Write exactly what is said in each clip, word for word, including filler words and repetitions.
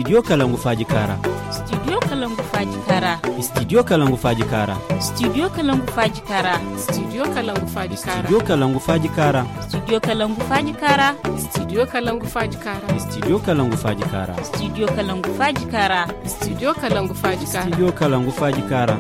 Studio Kalangu Faaji Kaara. Studio Kalangu Faaji Kaara. Studio Kalangu Faaji Kaara. Studio Kalangu Faaji Kaara. Studio Kalangu Faaji Kaara. Studio Kalangu Faaji Kaara. Studio Kalangu Faaji Kaara. Studio Kalangu Faaji Kaara. Studio Kalangu Faaji Kaara. Studio Kalangu Faaji Kaara. Studio Kalangu Faaji Kaara. Studio Kalangu Faaji Kaara.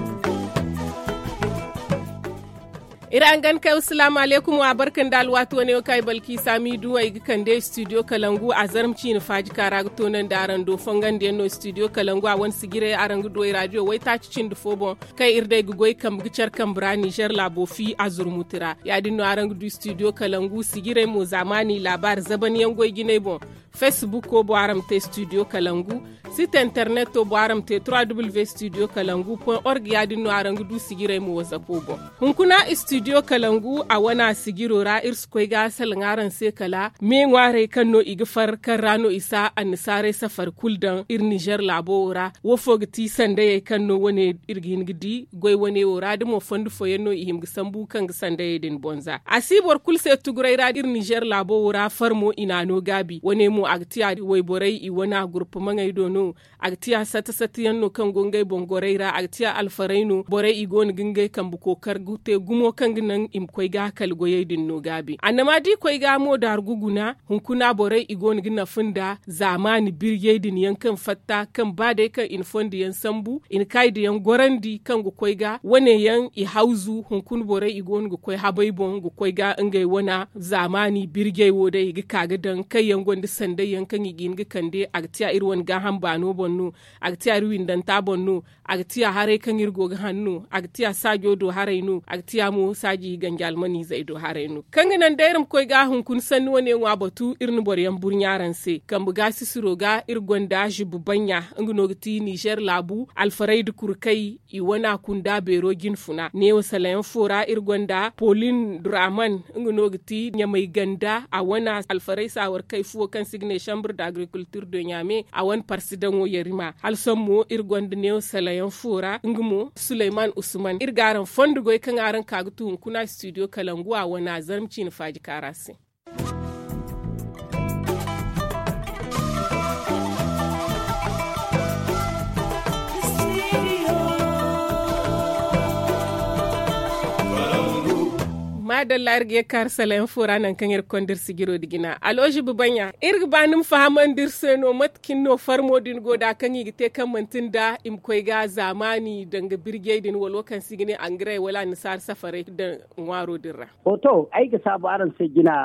Iri hangan kay, salaamu alaykum, wa barka nda alwaati wane wo kaŋ ay balki saami duwey ga kande studio kalangu a zarma ciine faaji kaara ga toonandi araŋ do fongandiyaŋ no studio kalangu a wane sijirey araŋ ga du ay raadiyo waytaaci cindi fo boŋ, kaŋ iri day ga goy kambe ga care kambe ra nizer laabo fi a zurmuti ra. Ya- din no araŋ ga du studio kalangu sijirey mo zaamaani laabaari zabanyaŋ goy jinay boŋ. Fesbukko bo araŋ ma te studio kalangu. Site interneto bo araŋ ma te trois w studio kalangu point org ya- din no araŋ ga du sijirey mo wazapo boŋ. Hunkuna studio kalangu a wana sijiro ra iri si koy ga salaŋ araŋ se kala me ŋwaarey kaŋ no i ga far kaŋ ra no i si annasaarey safari kulu daŋ iri nizer laabo wo ra. Wo fo ga ti sandayey kaŋ no wane iri ga hin ga di goy wane wo ra da mo fondo fooyaŋ no i hima ga sambu kaŋ ga sandayey din boŋ za a si boro kulu se tuguray ra iri nizer laabo wo ra farmo i n'a no gaabi wane mo a ga ti a wayborey i wana gurpumaŋey do no. A ga ti a sata sata yaŋ no kaŋ go ngey boŋ gorey ra a ga ti a alfarey no borey i go no ga ngey kambe kookar ga te gumo kaŋ ga naŋ i ma koy ga kala goyey din no gaabi annama da i koy ga mo daargu guna. Hunkuna borey i go no ga nafa nda zaamaani birjey din yaŋ kaŋ fatta kaŋ ba day kaŋ i na fondo yaŋ sambu i na kaayi da yaŋ gorandi kaŋ ga koy ga wane yaŋ i hawzu hunkuna borey i go no ga koy habay boŋ ga koy ga ngey wana zaamaani birjey wo day i ga ka ga daŋ kaŋ yaŋ gonda sanday yaŋ kaŋ i ga hin ga kande a ga ti a iri wane gaaham baano boŋ no. A ga ti a iri windanta boŋ no. A ga ti a haray kaŋ iri go ga hanno a ga ti a saajo do haray no a ga ti a mo saaji ganji almaniizey do haray no kaŋ ga naŋ day iri ma koy ga hunkuna sanni wane ŋwa batu iri na boro yaŋ burɲa araŋ se kambe gaasisiro ga iri gonda zubbu banɲa. Nga no ga ti nizer laabu alfarayda kurkay i wana kunda beero jinfuna neewo salayaŋ fo ra iri gonda polin draman nga no ga ti ɲamay ganda a wana alfaray saawarkay fuwo kaŋ se i ga ne chambre d'agriculture de ɲame a wane parsidaŋo yarima hala sohõ mo iri gonda neewo salayaŋ fo ra nga mo suleyman usman iri ga araŋ fondo goy kaŋ araŋ ka ga tu hunkuna studio kalangu a wana zarma ciine faaji kaara se. Maadalla iri ga ye ga kaaru salayaŋ fo ra nangu kaŋ iri ga konda iri sijiro nda jina aloozibi banɲa iri ga ba ni ma fahamandi iri se no mate kaŋ no farmo din go nd'a kaŋ i ga te kaŋ manti nda i ma koy ga zaamaani danga birjey din wala wo kaŋ se i ga ne angaray wala annasaara safarey daŋ ŋwaaro din ra. To ay ga saabu araŋ se jina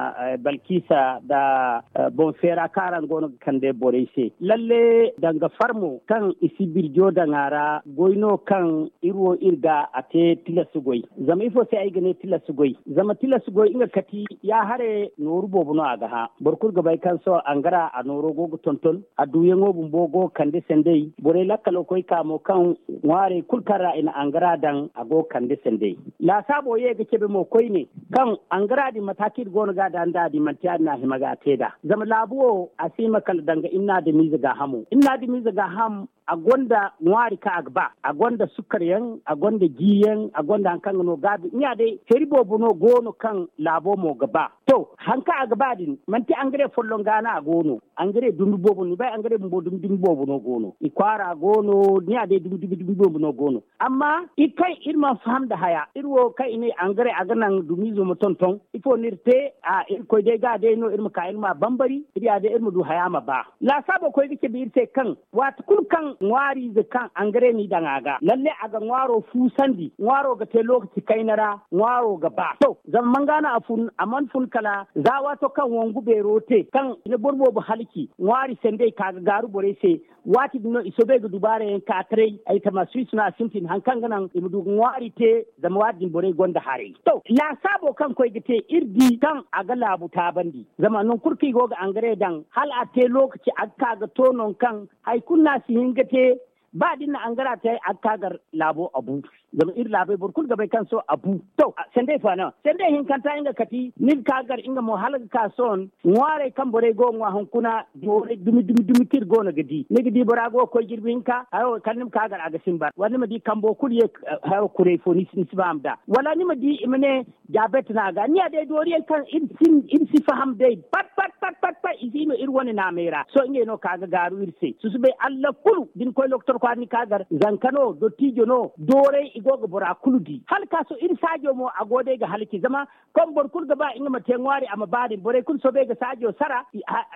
balkiisa nda boŋ feera kaŋ araŋ go no ga kande borey se lalle danga farmo kaŋ i si birjo daŋ a ra goy no kaŋ iri wo iri ga a te tilas goy. Zama ifo se ay ga ne tilas goy zama tilas goy nga kati ya hare nooru boobo no a ga hã. Boro kulu ga bay kaŋ sohõ angara a nooro go ga tonton a duuyaŋo bumbo go ga kande sanday borey lakkalo koy ka mo kaŋ ŋwaarey kulu kaŋ ra i na angara daŋ a go ga kande sanday. Laasaabo ye ga cabe mo koyne kaŋ angara din mata kaŋ iri go no ga a daŋ nd'a din manti ya- din no a hima ga a te nd'a zama laabu wo a si hima kala danga iri na adamiize gaahamo iri na adamiize gaaham. A gonda ŋwaari kaŋ a ga ba a gonda sukar yaŋ a gonda ji yaŋ a gonda hari kaŋ ga no gaabi ɲa day feeri boobo no go no kaŋ laabo mo ga ba. To hari kaŋ a ga ba din manti angare folloŋ ga no a go no. Angare dumi boobo no ni bay angare bumbo dumi dumi boobo no go no i kwaara go no ni a day dumi dumi dumi boobo no go no. Amma iri kaŋ iri mana faham nda haya iri wo kaŋ i ne angare a ga naŋ dumiizo ma tonton ifo no iri te? A irkoy day ga day no iri ma ka iri ma a bambari iri ya day iri ma du haya ma ba. Laasaabo koy ga cabe iri se kaŋ waati kulu kaŋ ŋwaariize kaŋ angare n'i daŋ a ga lalle a ga ŋwaaro fuusandi ŋwaaro ga te lookaci kayna ra ŋwaaro ga ba to zama manga no a fun a mana fun kala za waato kaŋ wangu beero te kaŋ i na boro boobo halci ŋwaari sandey ka ga gaaru borey se. Waati din no i soobay ga dubaara yaŋ ka taray ay tama suwis no a sintin hari kaŋ ga naŋ i ma du ga ŋwaari te. Zama waati din borey gonda haray to laasaabo kaŋ koy ga te iri di kaŋ a ga laabu taabandi zama nangu kulu kaŋ i go ga angare daŋ hala a te lookaci a ga ka ga to nangu kaŋ hari kulu no a si hin ga te. Ba da iri na angara te a ga ka gar laabo a bu. Zama iri laabey boro kulu ga bay kaŋ sohõ a bu to sandey fo a naŋ sandey hinkanta nga kati ni ga ka gar nga mo hala ga ka sohõ ŋwaarey kaŋ borey go ga ŋwa hunkuna doorey dumi dumi dumi kaŋ iri go no ga di ni ga di bora go ga koy jirbi hinka hayo kala ni ma ka gar a ga simbar wala ni ma di kambo kulu ye hayo kuray fo ni si faham nd'a wala ni ma di i ma ne. Diabet no a ga ni ya day dooriyaŋ kaŋ iri si faham day pat pat pat pat pat. I si no iri wane naamey ra sohõ ngey no ka ga gaaru iri se susubay allah kulu da ni koy lokotor kwaara ni ka gar zanka no dottijo no dooray i go ga bora kulu di hala ka sohõ iri saajo mo a go day ga halci zama kaŋ boro kulu ga ba nga ma te ŋwaari a ma ba din borey kulu soobay ga saajo sara.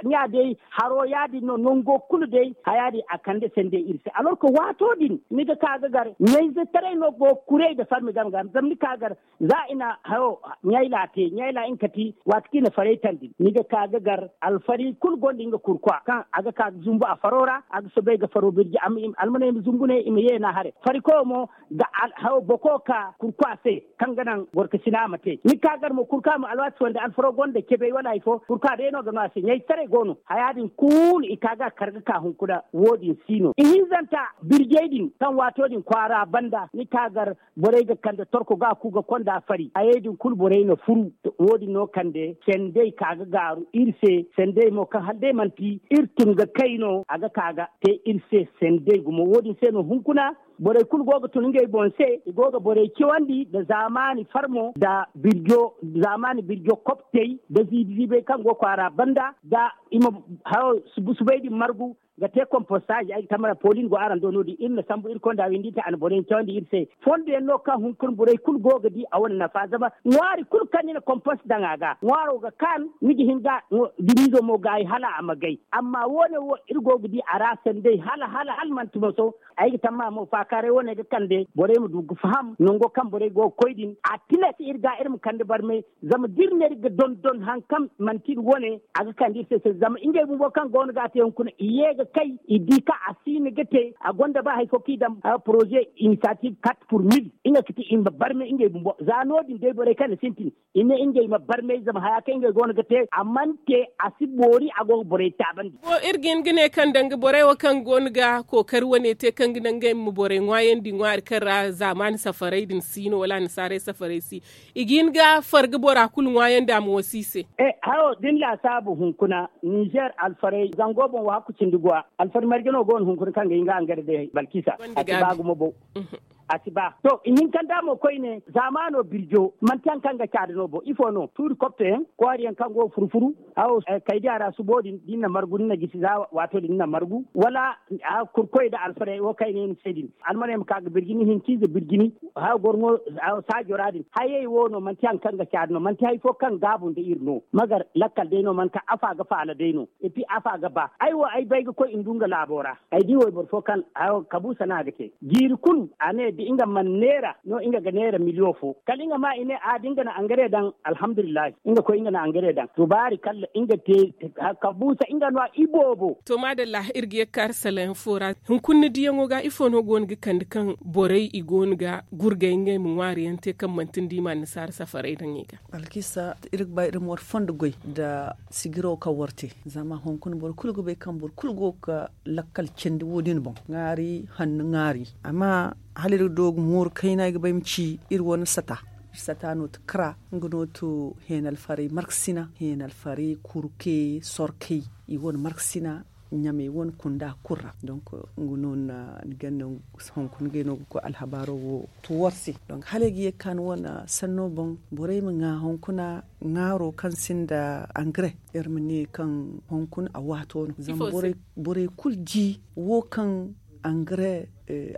Ɲa day haro ya- din no nango kulu day haya din a kande sendey iri se alorka waato din ni ga ka ga gar ɲayzetaray no go kuray nda farmi game ga zama ni ka gar za i na hayo ɲayla te ɲayla nga kati waati kaŋ i na faray tandi ni ga ka ga gar alfari kulu gonda nga kurkwa kaŋ a ga ka ga zumbu a faro ra a ga soobay ga faro birji almaney ma zumbu ne i ma ye na haray fari koyo mo ga hayo boko ka kurkwa se kaŋ ga naŋ gorkasina ma te ni ka gar mo kurkwa ma alwaati fo nda alfaro gonda cebay wala hari fo kurkwa day no ga no a se ɲayzetaray go no haya din kulu i ka ga kar ga ka hunkuna wo- din si no ihinzanta birjey din kaŋ waato din kwaara banda ni ka gar borey ga kande torko ga a ku ga konda fari hayey din kulu borey na furu. Wo- din no kande sendey ka ga gaaru iri se sendey mo kaŋ hala day manti iri tun ga kay no a ga ka ga te iri se sendey gumo wo- din se no hunkuna borey kulu go ga tun ngey boŋ se i go ga borey cawandi nda zaamaani farmo nda birjo zaamaani birjo koptey nda ziibi ziibey kaŋ go kwaara banda nda i ma hayo subay din margu ga te kompostage ay ga tamara polin go araŋ do no- din iri na sambu iri konda windi te a na borey cawandi iri se. Fondo yaŋ no kaŋ hunkuna borey kulu go ga di a wane nafa zama ŋwaari kulu kaŋ ni na kompost daŋ a ga ŋwaaro ga kaan ni ga hin ga dimiizo mo gaayi hala a ma gay amma wo- ne wo iri go ga di a ra sanday hala hala hala manti moso. Ay ga tamma mo faakaaray wane ga kande borey ma du ga faham nango kaŋ borey go ga koy din a tilas iri ga iri ma kande barmay. Zama da iri ne iri ga dondon hari kaŋ manti iri wane a ga kande iri se se zama ngey bumbo kaŋ go no ga a te hunkuna i ye ga kay i di kaŋ a si ni ga te a gonda ba hari fo kaŋ i daŋ poroze inisiyatif kat pur mil nga ga ti i ma barmay ngey bumbo za no- din day borey kaŋ na sintin i ne ngey ma barmay zama haya kaŋ ngey go no ga te a mana te a si boori a go ga borey taabandi. Iri ga hin ga ne kaŋ danga borey wo kaŋ go no ga kookari wane te kaŋ ga naŋ ngey ma borey ŋwaayandi ŋwaari kaŋ ra zaamaani safaray din si no wala annasaarey safaray si i ga hin ga farga bora kulu ŋwaayandi a ma wasi i se. Hayo da ni laasaabu hunkuna ninzeer alfarey zango boŋ wo hakku cindi go a alfari marje no go no hunkuna kaŋ ga hin ga angare day balkisa a si ba gumo boŋ. A si ba to ihinkanda mo koyne zaamaano birjo manti hari kaŋ ga caada no boŋ ifo no tuuri kopto yaŋ kwaari yaŋ kaŋ go ga furu furu hawo kaydiya ra subo din da ni na margu ni na gisi za waato din ni na margu wala kurkoy nda alfarey wo kaŋ ay ne ni se din almaney ma ka ga birji ni hinka ize birji ni hawo gorŋo saajo ra din hayey wo no manti hari kaŋ ga caada no manti hari fo kaŋ gaabu nda iri no magar lakkal day no manti afa ga faala day no. Epi afa ga ba ay wo ay bay ga koy ndu nga laabo ra ay di wayboro fo kaŋ kabuusa no a ga te jiiri kulu a ne da nga mana neera no nga ga neera miliyoŋ fo kala nga ma i ne a da nga na angare daŋ alhamdulillahi nga koy nga na angare daŋ tubaari kala nga te. Kabuusa nga no a iboobo. To maadalla iri ga ye ga kaari salayaŋ fo ra hunkuna ni diyaŋo ga ifo no go no ga kande kaŋ borey i go no ga gurgay ngey ma ŋwaari yaŋ te kaŋ manti ni di ma annasaara safaray daŋ i ga. Alkisa iri ga ba iri ma war fondo goy nda sijiro kaŋ war te zama hunkuna boro kulu ga bay kaŋ boro kulu go ga lakkal candi wo- din boŋ ŋaari hanno ŋaari amma hala iri ga doogu mooru kayna ay ga ba ay ma ci iri wane sata. Iri sata no ti kara nga no ti heenalfarey markasina heenalfarey kurke sorkey i wane markasina ɲamey wane kunda kulu ra donk nga no ni ganda hunkuna ngey no ga koy alhabaaro wo. To war se donk hala ay ga ye ga ka ni wane sanno boŋ borey ma ŋwa hunkuna ŋwaaro kaŋ sinda angare iri ma ne kaŋ hunkuna a waato no zama borey kulu di wo kaŋ angare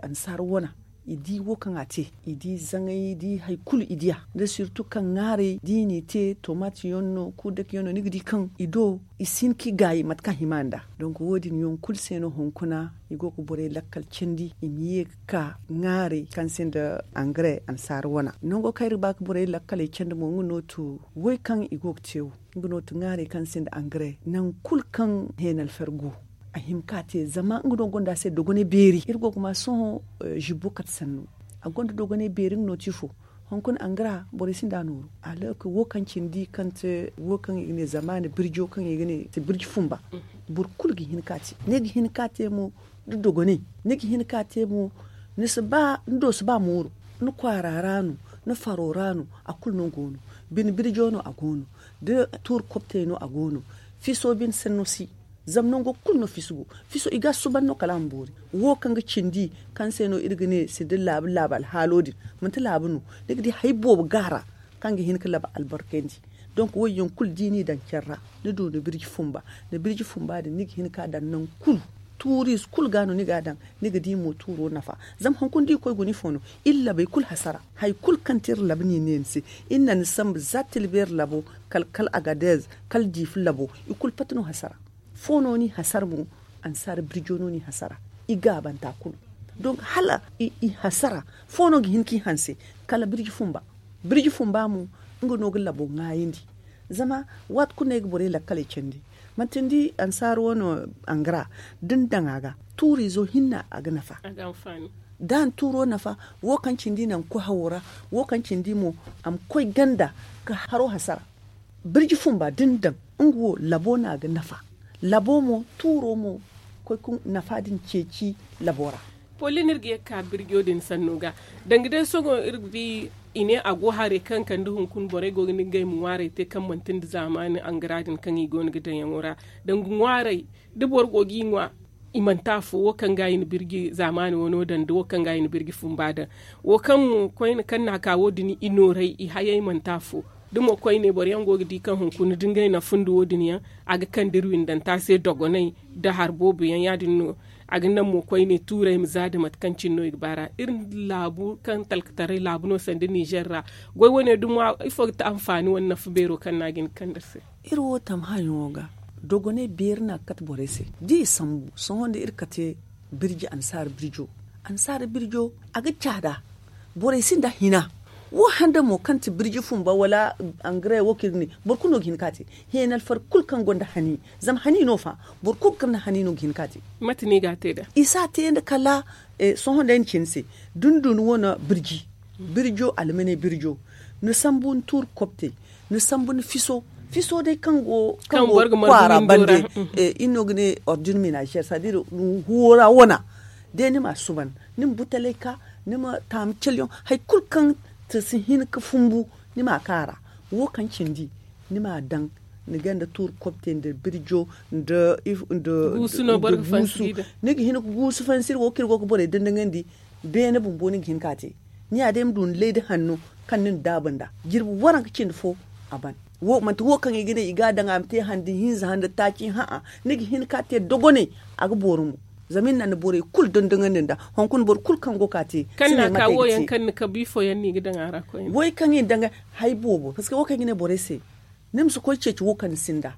annasaara wana i di wo kaŋ a te i di zaŋay i di hari kulu i diya da sirtu kaŋ ŋwaarey da i n'i te tomaati yaŋ no kuudaki yaŋ no ni ga di kaŋ i do i si hin ka i gaayi mate kaŋ hima nd'a. Donk wo- din yaŋ kulu se no hunkuna i go ga borey lakkal candi i ma ye ga ka ŋwaarey kaŋ sinda angare annasaara wana nango kaŋ iri ga ba ga borey lakkaley candi mo nga no ti way kaŋ i go ga te wo nga no ti ŋwaarey kaŋ sinda angare nangu kulu kaŋ heenalfer go a hima ka te zama nga no gonda se dogonay beeri iri go ga ma sohõ zibbo kate sanno a gonda dogonay beeri nga no ti ifo hunkuna angara borey sinda nooru a looka wo kaŋ cindi kaŋ te wo kaŋ i ga ne zamaani birjo kaŋ i ga ne ti birji fumba boro kulu ga hin ka te ni ga hin ka te mo da dogonay ni ga hin ka te mo ni si ba ni do si ba mooru ni kwaara ra no ni faro ra no a kulu no go no bine birjo no a go no da tuuri koptey no a go no fiso bine sanno si zama nango kulu no fiso go fiso i ga a suuban no kala a ma boori wo kaŋ ga cindi kaŋ se no iri ga ne si da laabu laabu alhaalo din manti laabu no ni ga di hari boobo ga a ra kaŋ ga hin ga laba albarkandi Donk wo- yaŋ kulu da i n'i daŋ care ra, ni du ni birji fumba. Ni birji fumba din ni ga hin ka daŋ nangu kulu. Tuuriize kulu ga no ni ga a daŋ. Ni ga di mo tuuro nafa. Zama hunkuna da i koy guna ifo no, iri labey kulu hasara. Hari kulu kaŋ te iri labu no i ne ni se. Iri na ni sambu za tilbeeri labo, kala kala agadez, kala diifi labo, i kulu pati no hasara. Fo no ni hasara mo. Ansaara birjo no ni hasara. I gaabanta kulu. Donk hala i hasara, fo no ga hin ka i hanse? Kala birji fumba. Birji fumba mo, nga no ga labo ŋwaayandi. Zama waati kulu no ay ga borey lakkaley candi. Manti ni di ansaara wo no, angara, da ni daŋ a ga, tuuriizo hinne a ga nafa. Da a na tuuro nafa, wo kaŋ cindi naŋ koy hawo ra, wo kaŋ cindi mo, a ma koy ganda ka haro hasara. Birji fumba da ni daŋ, nga wo labo no a ga nafa. Labo mo, tuuro mo, koy ka nafa din ceeci labo ra. Polin iri ga ye ga ka birjo din sanno ga. Danga day sohõ iri ga di i ne a go haray kaŋ kande hunkuna borey go ga ni ga ay ma ŋwaaray te kaŋ manti nda zaamaani angara din kaŋ i go no ga daŋ yaŋo ra. Danga ŋwaaray, da boro go ga i ŋwa, i manti afo, wo kaŋ ga i na birji zaamaani wano daŋ da wo kaŋ ga i na birji fumba daŋ. Wo kaŋ mo koyne kaŋ no a ka wo- din i nooray i hayey manti afo. Da mo koyne boro yaŋ go ga di kaŋ hunkuna da ngey na fundi wo- din yaŋ, a ga kande iri windanta se dogonay nda hari boobo yaŋ. Ya- din no a ga naŋ mo koyne tuuray ma za da mate kaŋ cine no i ga ba ra. Iri laabu kaŋ talkataray laabu no sanda nizer ra, goy wane dumo ifo ga ti anfaani wane nafa beero kaŋ no a ga hin ga kande iri se? Iri wo tamhã yaŋo ga, dogonay beeri no a ga kate borey se. Da i sambu sohõ nda iri kate birji ansaara birjo. Ansaara birjo, a ga caada. Borey sinda hina. Wo handa mo kaŋ ti birji fumba wala angare wo kaŋ iri ga ne, boro kulu no ga hin ka te. Heenalfar kulu kaŋ gonda hani, zama hani no fa. Boro kulu kaŋ na hani no ga hin ka te. Mate no i ga a te nd'a? I si a te nda kala sohõ day ni ci ni se, da ni du ni wane birji, birjo almaney birjo, ni sambu ni tuuri kobtey, ni sambu ni fiso. Fiso day kaŋ go kwaara bande, iri no ga ne ordin menazer, c'est à dire huwo ra wana. Day ni ma a suban, ni ma butaley ka, ni ma taamu calyaŋ, hari kulu kaŋ ti si hin ga fumbu, ni ma a ka a ra. Wo kaŋ cindi, ni ma a daŋ, ni ganda tuuri kobte nda birjo, nda guusu. Ni ga hin ga guusu fansi iri wo kaŋ iri go ga borey dindingandi. Beene bumbo ni ga hin ka te. Ni ya day ma du ni lay da hanno kaŋ ni na daabu nd'a. Jirbi waranka cindi fo, a ban. Manti wo kaŋ i ga ne i ga a daŋ a ma te handi hinza handi taaci hã'a. Ni ga hin ka te dogonay. A ga boori mo. Zama iri na ni borey kulu dondonandi nd'a. Hunkuna boro kulu kaŋ go ka te, kaŋ na ka wo yaŋ kaŋ ni kabu ifo yaŋ no i ga daŋ a ra koyne? Way kaŋ i daŋ hari boobo parceque wo kaŋ i ga ne borey se, ni ma si koy ceeci wo kaŋ ni sinda.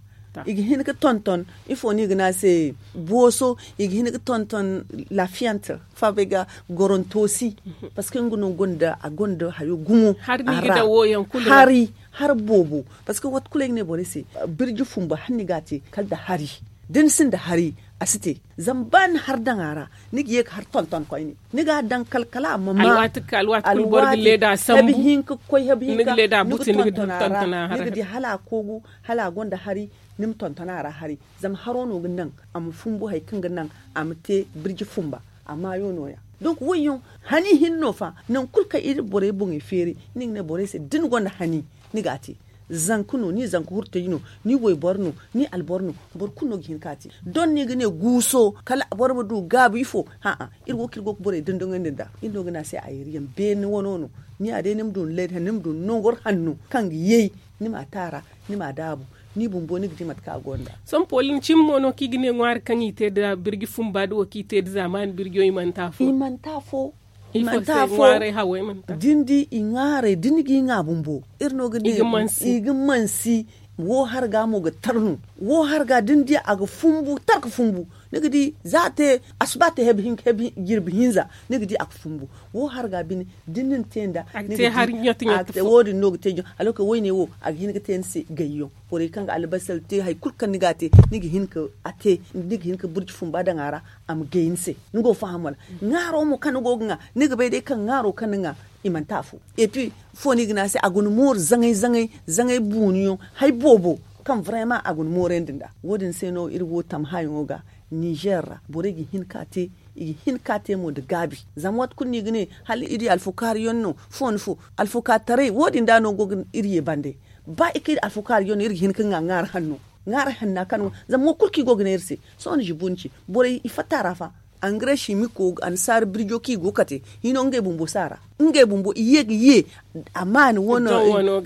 I ga hin ga tonton ifo no i ga ne a se? Booso. I ga hin ga tonton lafiyante, faabay ga gorontosi. Parceque nga no gonda a gonda hayo gumo. Hari no i ga daŋ wo yaŋ kulu ra. Hari boobo. Parceque waati kulu ay ga ne borey se, birji fumba hala ni ga a te kala nda hari. Da ni sinda hari, a si te. Zama ba ni hari daŋ a ra, ni ga ye ga hari tonton koyne. Ni ga a daŋ kala kala a ma ma alwaati kulu boro ga leeda sambu. Hebi hinka ga koy hebi hinka, ni ga tonton a ra. Ni ga di hala a koogu, hala a gonda hari. Ni ma tonton a ra hari. Zama haro no ga naŋ a ma fumbu hari kaŋ ga naŋ a ma te birji fumba. A maayo no- ya. Donk wo- yaŋ hani hinne no fa. Nangu kulu kaŋ iri borey boŋey feeri, ni ga ne borey se da ni gonda hani, ni ga a te. Zanka no, ni zanka hurtaji no, ni wayboro no, ni alboro no, boro kulu no ga hin ka te. Don no i ga ne guuso kala boro ma du gaabu ifo? Hã'a. Iri wo kaŋ iri go ga borey dondonandi nd'a, iri no ga ne a se ayriyaŋ beene wano no. Ni ya day ni ma du ni lay da hanno, ni ma du ni nongor hanno kaŋ ga yay. Ni ma a te a ra, ni ma a daabu, ni bumbo ni ga di mate kaŋ a gonda. Sohõ pooli ni cimi mo no kaŋ i ga ne ŋwaari kaŋ i te nda birji fumba da wo kaŋ i te nda zaamaani birjo i manti afo. I manti afo. Da ni di i ŋwaaray da ni ga i ŋwa bumbo, iri no ga ne i ga mansi. Wo harga mo ga tar no. Wo harga da ni di a ga fumbu tar ga fumbu. Ni ga di za a te asuba te hebi hinka hebi jirbi hinza, ni ga di a ga fumbu. Wo harga bine da ni na te nda, ni ga te hari ɲoto ɲoto. Wo- din no ga te ɲoto. Alwakey wayne wo a ga hin ga te ni se gayyaŋ. Borey kaŋ ga albasar te hari kulu kaŋ ni ga a te, ni ga hin ka a te. Ni ga hin ka burji fumba daŋ a ra, a ma gay ni se. Ni go ga faham wala? Ŋaaro mo kaŋ ni go ga ŋwa, ni ga bay day kaŋ ŋaaro kaŋ ni ŋwa i manti afo. Et puis fo no i ga ne a se a ga ni mooru zaŋay zaŋay, zaŋay buuniyaŋ, hari boobo kaŋ vraiment a ga ni moorandi nd'a. Wo- din se no iri wo tamhãyaŋo ga, nizer ra borey ga hin ka te. I ga hin ka te mo nda gaabi. Zama waati kulu no i ga ne hala iri alfukaari yaŋ no, fo nda fo alfukaari taray wo- din da no go ga iri ye bande. Ba i ka iri alfukaari yaŋ no iri ga hin ka ŋwa ŋwaari hanno. Ŋwaari hanna kaŋ no zama wo kulu kaŋ i go ga ne iri se. Sohõ ni zibu ni ci borey i fatta ra fa. Angare simiko annasaara birjo kaŋ i go ga kate hino ngey bumbo si a ra. Ngey bumbo i ye ga ye a maani wane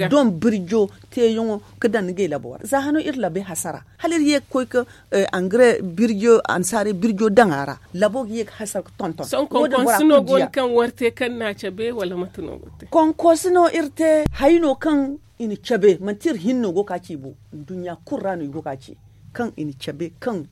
don birjo teeyaŋo ga daŋ ngey labo ra za hano iri labey hasara hala iri ye ga koy ga angare birjo annasaara birjo daŋ a ra. Labo ga ye ga hasara ga tonton. Sohõ konkonsi no go no kaŋ war te kaŋ na a cabe wala mate no go te? Konkonsi no iri te haya no kaŋ i na cabe manti iri hinne no go ga ci bo. Nduɲɲa kulu ra no i go ga ci kaŋ i na cabe kaŋ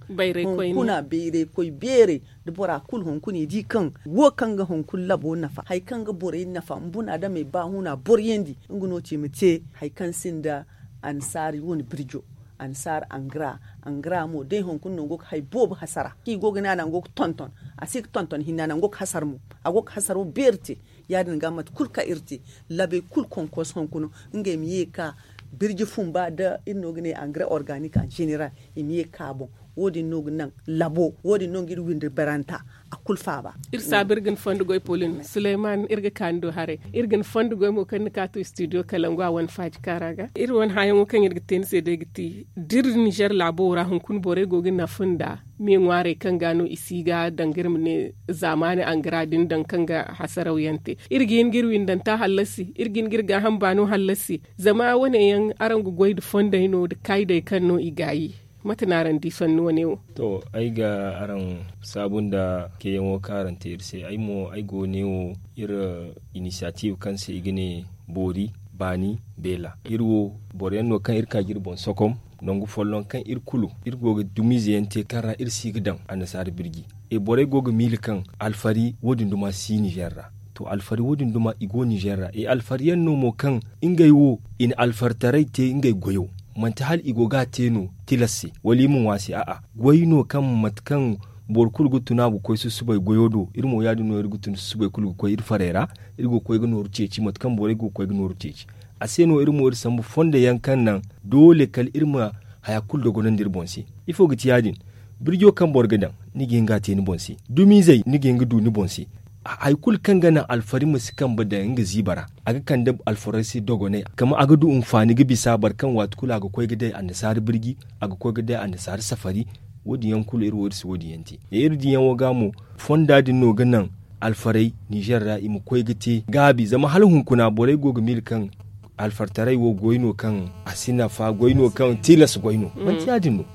hunkuna bayray koy beeray da bora kulu hunkuna i di kaŋ wo kaŋ ga hunkuna labo nafa hari kaŋ ga borey nafa nbuna adamey ba huna boro yandi. Nga no ci ma te hari kaŋ sinda annasaari wane birjo annasaari angara angara mo day hunkuna no go ga hari boobo hasara kaŋ i go ga ne a naŋ go ga tonton a si ga tonton hinne a naŋ go ga hasara mo a go ga hasaro beeri te. Ya- din ga mate kulu kaŋ iri te labey kulu konkos hunkuna ngey ma ye ga ka birji fumba da iri no ga ne angare organik en general i ma ye ga ka a boŋ. Wo- din no ga naŋ labo wo- din no ga iri windi baranta a kulu faaba. Iri saabu iri ga ni fondo goy polin suleyman iri ga ka ni do haray iri ga ni fondo goy mo kaŋ ni ka to studio kalangu a wane faaji kaara ga iri wane hããyaŋo kaŋ iri ga te ni se day ga ti da iri nizer laabo ra hunkuna borey go ga nafa nda me ŋwaarey kaŋ ga no i si ga danga iri ma ne zaamaani angara din daŋ kaŋ ga hasaraw yaŋ te. Iri ga hin ga iri windanta hallasi iri ga hin ga iri gaaham baano hallasi. Zama wane yaŋ araŋ ga goy nda fondey no nda kaydey kaŋ no i gaayi. Mate no araŋ di sanni wane wo? To ay ga araŋ saabu nda keyaŋo kaŋ araŋ te iri se ay mo ay go ne wo iri inisiyatiiv kaŋ se i ga ne boori baani beela iri wo boro yaŋ no kaŋ iri ka ga iri boŋ sokom. Nangu folloŋ kaŋ iri kulu iri go ga dumiize yaŋ te kaŋ ra iri si ga daŋ annasaara birji. E borey go ga miila kaŋ alfari wo- din duma si nizer ra. To alfari wo- din duma i go nizer ra e alfari yaŋ no mo kaŋ ngey wo i na alfaritaray te ngey goyo. Manti hala i go ga a te no tilas se wala i ma ŋwa se a'a goy no kaŋ mate kaŋ boro kulu ga tun a ga koy susubay goyo do iri mo ya- din no iri ga tun susubay kulu ga koy iri farey ra. Iri go ga koy ga nooru ceeci mate kaŋ borey go ga koy ga nooru ceeci. A se no iri mo iri sambu fondo yaŋ kaŋ naŋ doole kala iri ma haya kulu dogonandi iri boŋ se. Ifo ga ti ya- din? Birjo kaŋ boro ga daŋ ni ga hin ga a te ni boŋ se. Dumiizey ni ga hin ga du ni boŋ se. Hari kulu kaŋ ga naŋ alfari ma si kambe daŋ nga ziiba ra a ga kande alfarey se dogonay kama a ga du nfaani ga bisa boro kaŋ waati kulu a ga koy ga day annasaara birji a ga koy ga day annasaara safari. Wo- din yaŋ kulu iri wo iri si wo- din yaŋ te. Iri diiyaŋ wo ga mo fonda din no ga naŋ alfarey nizer ra i ma koy ga te gaabi zama hala hunkuna borey go ga miila kaŋ alfartaray wo goy no kaŋ a si nafa goy no kaŋ tilas goy no. Manti ya- din no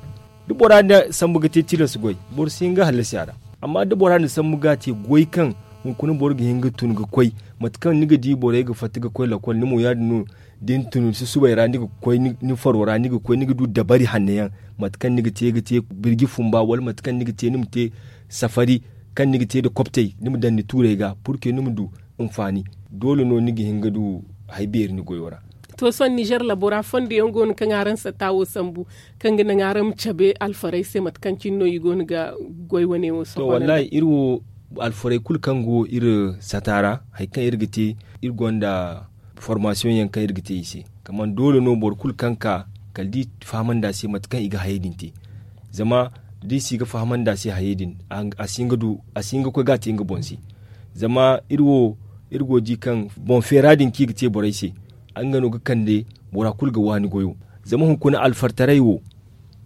da bora na sambu ga te tilas goy boro si hin ga hallasi a ra. Amma da bora na sambu ga a te goy kaŋ hunkuna boro ga hin ga tun ga koy mate kaŋ ni ga di borey ga fatta ga koy lakol ni mo ya- din no. Da ni tun susubay ra ni ga koy ni faro ra ni ga koy ni ga du dabari hanno yaŋ mate kaŋ ni ga te ga te birji fumba wala mate kaŋ ni ga te ni ma te safari kaŋ ni ga te nda koptey ni ma daŋ ni tuurey ga purke ni ma du nfaani. Doole no ni ga hin ga du hari beeri ni goyo ra. To sohõ nizer labo ra fondo yaŋ go no kaŋ araŋ satta wo sambu kaŋ ga naŋ araŋ ma cabe alfarey se mate kaŋ cine no i go no ga goy wane wo sohõ wallahi iri wo alfarey kulu kaŋ go iri sata ra hari kaŋ iri ga te iri gonda formasiyoŋ yaŋ kaŋ iri ga te i se. Kaman doole no boro kulu kaŋ ka kala da i fahamandi a se mate kaŋ i ga hayey din te. Zama da i si ga fahamandi a se hayey din a si hin ga koy ga a te nga boŋ se. Zama iri wo iri go ga di kaŋ boŋ feera din kaŋ i ga te borey se nga no ga kande bora kulu ga waani goyo. Zama hunkuna alfartaray wo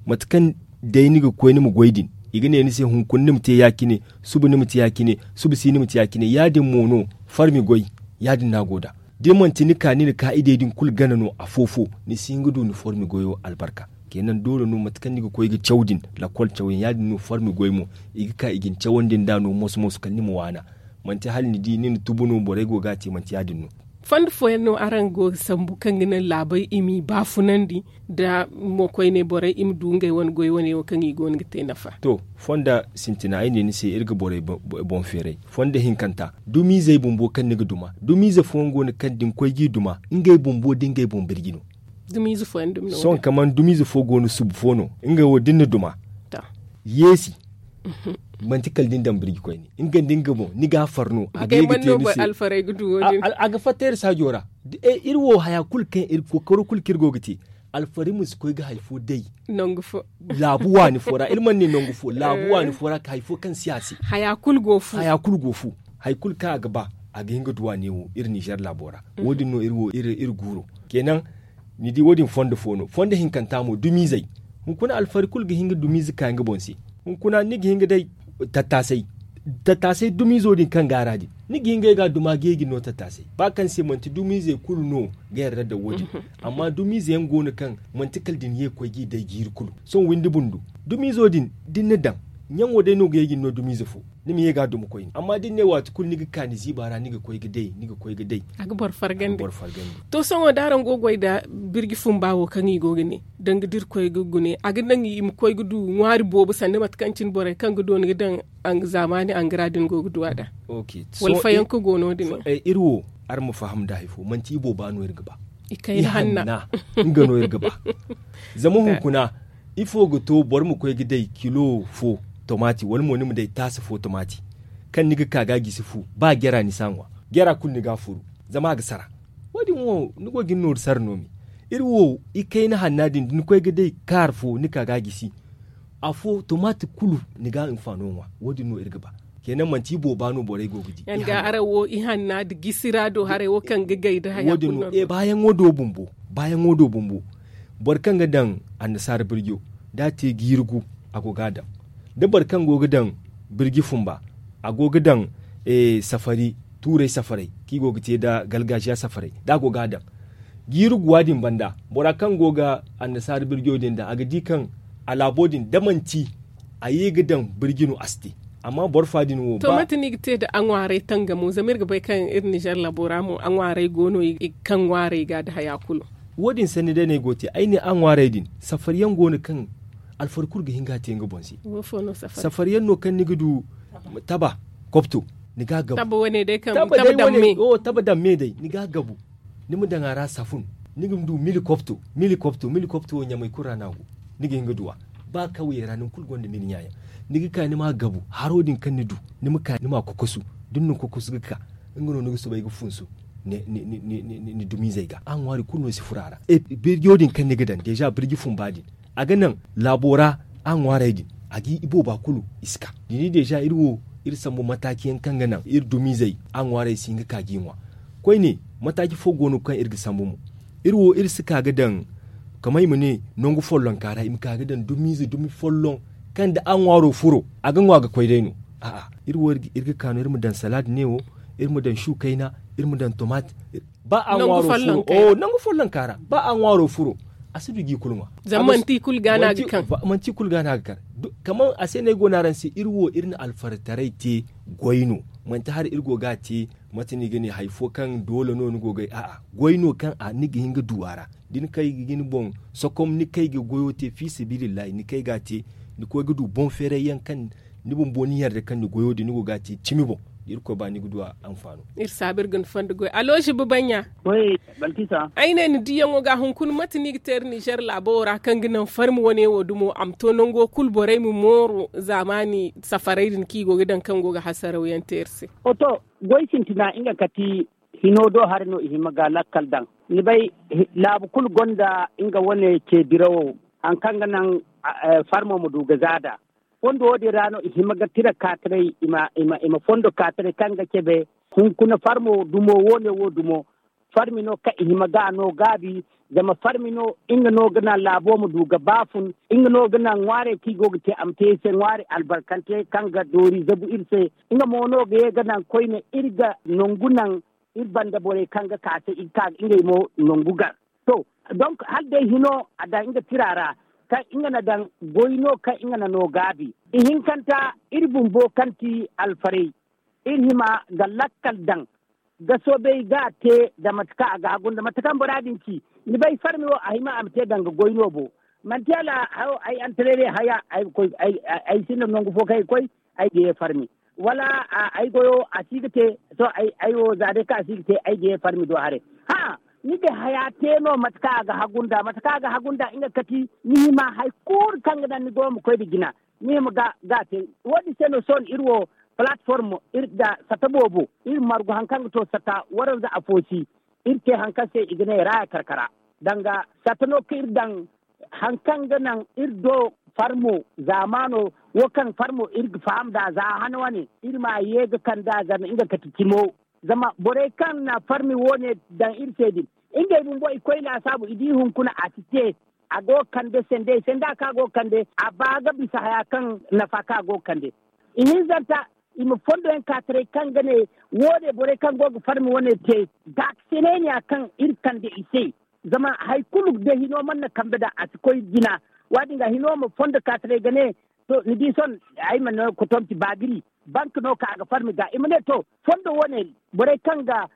mate kaŋ day ni ga koy ni ma goy din i ga ne ni se hunkuna ni ma te ya- cine, suba ni ma te ya- cine, suba si ni ma te ya- cine ya- din mo no. Farmi goy ya- din no a go nd'a. Da manti ni ka ni na kaa'idey din kulu gana no afo-fo ni si hin ga du ni formi goyo albarka. Kenan doole no mate kaŋ ni ga koy ga caw din lakkol cawyaŋ ya- din no formi goy mo. I ga ka i ga ni cawandi nd'a no moso-moso kala ni ma waana. Manti hala ni di ni na tubu no borey go ga a te manti ya- din no. Fondo fooyaŋ no araŋ go ga sambu kaŋ ga naŋ laabey i m'i baafunandi nda mo koyne borey i ma du ngey wane goy wane wo kaŋ i go no ga te nafa. To, fonda sintina ay ne ni se iri ga borey boŋ feeray. Fondo hinkanta dumiizey bumbo kaŋ ni ga duma dumiize fooyaŋ go no kaŋ da ni koy g'i duma ngey bumbo da ngey boŋ birji no. Sohõ kaman dumiize fo go no subu fo no ngey wo da ni na duma yeesi. Manti kala da ni daŋ birji koyne nga nda nga boŋ ni ga a far no a ga ye ga te ni se. A ga fatta iri saajo ra. Iri wo haya kulu kaŋ iri kookaro kulu kaŋ iri go ga te alfari ma si koy ga hari fo day. Laabu waani fo ra iri mana ne nangu fo laabu waani fo ra hari fo kaŋ si a se. Haya kulu go fu. Hari kulu kaŋ a ga ba a ga hin ga duwa neewo iri ninzeer laabo ra. Wo- din no iri guuro. Kenan ni di wo- din fondo fo no fondo hinkanta mo dumiizey. Hunkuna alfari kulu ga hin ga dumiize ka nga boŋ se. Hunkuna ni ga hin ga day tattaasay Tattaasay dumiizo din kaŋ gaara din, ni ga hin ga ay ga duma ga yeejin no tattaasay ba kaŋ se manti dumiizey kulu no ga yarda daŋ wo- din. Amma dumiize yaŋ go no kaŋ manti kala da ni ye ga koy ga i day jiiri kulu. Sohõ windi bundu dumiizo din da ni na daŋ, ɲaŋo day no ga yeejin no dumiize fo. Ni ma ye ga a duma koyne amma da ni ne waati kulu ni ga ka ni ziiba ra ni ga koy ga day ni ga koy ga day. A ga boro fargandi. To sohõ da araŋ go ga goy nda birji fumba wo kaŋ i go ga ne, danga da irkoy ga gune a ga naŋ i ma koy ga du ŋwaari boobo sanda mate kaŋ cine borey kaŋ ga dooni ga daŋ zaamaani angara din go ga du a da. Wala fayanka go no- din. Iri wo, araŋ ma faham nda hari fo manti i booba no iri ga ba. I kayna hanna. Nga no iri ga ba. Zama hunkuna ifo ga to boro ma koy ga day kilo fo tomaati wala mo ni ma day taasa fo tomaati, kaŋ ni ga ka ga a gisi fu ba jara ni si a ŋwa. Jara kulu ni ga a furu. Zama a ga sara. Wo- din wo ni go ga ni nooru sara no me. Iri wo, ikayna hanna din da ni koy ga day kaari fo ni ka ga a gisi. Afo tomaati kulu ni ga a hinfaano ŋwa. Wo- din no iri ga ba. Keena manti i booba no borey go ga di. Araŋ wo ihanna nda gisi ra do haray wo kaŋ ga gay nda haya kulu no. Baayaŋo do bumbo. Boro kaŋ ga daŋ annasaara birjo, da a te jiiri gu, a go ga a daŋ. Da boro kaŋ go ga daŋ birji fumba, a go ga daŋ safari, tuuray safaray kaŋ i go ga te nda galgaaziya safaray, da a go ga a daŋ jiiri guwa din banda, bora kaŋ go ga annasaara birjo din daŋ a ga di kaŋ a laabo din da manti a ye ga daŋ birji no a si te. Amma boro fa din wo ba. To mate no i ga te nda a ŋwaaray tangamo zama iri ga bay kaŋ iri nizer laabo ra mo a ŋwaaray go no i ga kaŋ ŋwaaray ga nda haya kulu. Wo- din sanni day no ay go ga te ay ne a ŋwaaray din safari yaŋ go no kaŋ alfari kulu ga hin ga a te nga boŋ se. Safari yaŋ no kaŋ ni ga du taba kopto, ni ga a gabu. Taba daŋ me day ni ga a gabu. Ni ma daŋ a ra safun, ni ga ma du mili kopto. Mili kopto mili kopto wo ɲamay kulu ra no a go. Ni ga hin ga du a ba kawye ra nangu kulu gonda mili ɲa yaŋ. Ni ga ka ni ma a gabu haro din kaŋ ni du, ni ma ka ni ma a kokosu. Da ni na kokosu ga ka, nga no ni ga soobay ga funsu ni dumiizey ga a ŋwaari kulu no si furo a ra. Birjo din kaŋ ni ga daŋ deeza birji fumba din, a ga naŋ laabo ra a ŋwaarey din, a ga i booba kulu i si ka. Ni di deeza iri wo, iri sambu mataaci yaŋ kaŋ ga naŋ iri dumiizey a ŋwaarey si hin ga ka ga i ŋwa. Koyne, mataaci fo go no kaŋ iri ga sambu mo. Iri wo iri si ka ga daŋ, kama i ma ne, nangu follonka ra i ma ka ga daŋ dumiize dumi folloŋ, kaŋ da a ŋwaaro furo, a ga ŋwa ga koy day no. A'a, iri wo iri ga ka no iri ma daŋ salaad ne wo, iri ma daŋ su kayna, iri ma daŋ tomaat. Ba a ŋwaaro furo, nangu follonka ra ba a ŋwaaro furo, a si du ga i kulu ŋwa. Zama manti i kulu ga no a ga kar. Kama a se no ay go no araŋ se iri wo iri na alfartaray te goy no. Manti hari iri go ga a te, mate no i ga ne hari fo kaŋ doole no ni go ga ay a'a, goy no kaŋ ni ga hin ga du a ra. Da ni kay ga ni boŋ sokom ni kay ga goyo te fiisabilillahi ni kay ga a te, ni koy ga du boŋ feeray yaŋ kaŋ ni bumbo ni yarda kaŋ ni goyo din ni go ga a te cimi boŋ. Da irkoy ba ni ga du a anfaano. Iri saabu iri ga ni fondo goy aloozi babaɲɲa. Ay ne ni diyaŋo ga hunkuna mate no i ga te iri nizer laabo wo ra kaŋ ga naŋ farmi wane wo dumo a ma to nango kulu borey ma mooru zaamaani safaray din kaŋ i go ga daŋ kaŋ go ga hasaraw yaŋ te iri se. Goy sintina nga kati hino do hari no i hima ga lakkal daŋ. Ni bay, laabu kulu gonda nga wane ce dirawo, hari kaŋ ga naŋ farmo ma du ga za nd'a. Fondo wo- din ra no i hima ga tira kaataray i ma fondo kaataray kaŋ ga cabe hunkuna farmo dumo wo- ne wo dumo. Farmi no kaŋ i hima ga a no gaabi, zama farmi no nga no ga naŋ laabo ma du ga baafun. Nga no ga naŋ ŋwaarey kaŋ i go ga te a ma te iri se ŋwaari albarkante kaŋ ga doori zabu iri se. Nga mo no ga ye ga naŋ koyne iri ga nangu naŋ iri banda borey kaŋ ga ka se i ga ka ga ngey mo nangu gar. To, donk hala day hino a daŋ nga tira ra kaŋ nga na daŋ goy no kaŋ nga na no gaabi. Ihinkanta, iri bumbo kaŋ ti alfarey, iri hima ga lakkal daŋ ga soobay ga a te nda mate kaŋ a ga hagu nda mate kaŋ bora din ci. Ni bay farmi wo a hima a ma te danga goy no bo. Manti hala hayo ay antarere haya ay sinda nangu fo kaŋ ay ga koy, ay ga ye farmi wala ay goyo a si ga te. To, ay wo za day kaŋ a si ga te ay ga ye farmi do haray. Hã, ni ga haya te no mate kaŋ a ga hagu nda mate kaŋ a ga hagu nda nga kati ni hima hari kulu kaŋ ga naŋ ni goyo ma koy nda jina. Ni hima ga a te. Wo- din se no sohõ iri wo palatform iri nda sata boobo iri margu hari kaŋ ga to sata waranza afo si. Iri te hari kaŋ se i ga ne raaya karkara danga sata no kaŋ iri daŋ hari kaŋ ga naŋ iri do farmo zaamaano wo kaŋ farmo iri ga faham nd'a za hana wane iri ma ye ga kand'a zama nga kati cimo. Zama borey kaŋ na farmi wo- ne daŋ iri se din, ngey bumbo i koy laasaabu i di hunkuna a si te. A go ga kande sendey senda kaŋ a go ga kande a ba ga bisa haya kaŋ nafa kaŋ a go ga kande. Ihinzanta, i ma fondo yaŋ ka taray kaŋ ga ne, wo- ne borey kaŋ go ga farmi wane te, gaakasinay ne ya kaŋ iri kande i se. Zama hari kulu da hino mana kambe da a si koy jina. Wa- din ga hino ma fondo ka taray ga ne, to ni di sohõ, ay mana kotomti baagiri, bank no ka a ga farmi ga i ma ne to, fondo wane, borey kaŋ ga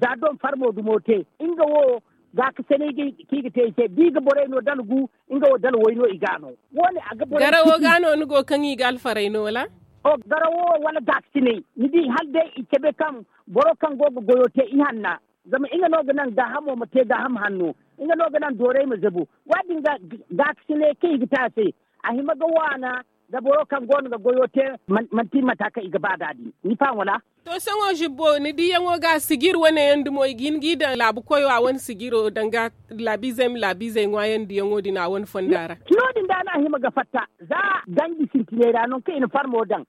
za don farmo dumo te, nga wo gaakasinay kaŋ i ga te i se da i ga borey no dala gu, nga wo dala way no i ga no. Wo- ne a ga borey garawo ga no ni go kaŋ i ga alfaray no wala? Garawo wala gaakasinay, ni di hala day i cabe kaŋ boro kaŋ go ga goyo te ihanna, zama nga no ga naŋ gaahamo ma te gaaham hanno, nga no ga naŋ doorey ma zabu. Wa- din ga gaakasinay kaŋ i ga te a se, a hima ga waana da boro kaŋ go no ga goyo te, manti mata kaŋ i ga ba da din, ni faham wala? To sohõ zibbo ni diyaŋo ga sijir wane yaŋ dumo i ga hin g'i daŋ laabu koyo a wane sijiro danga laabiizey ma laabiizey ŋwaayandi yaŋo din a wane fonda ra. No- din da no a hima ga fatta, za ganji sintiney ra nangu kaŋ i na farmo daŋ,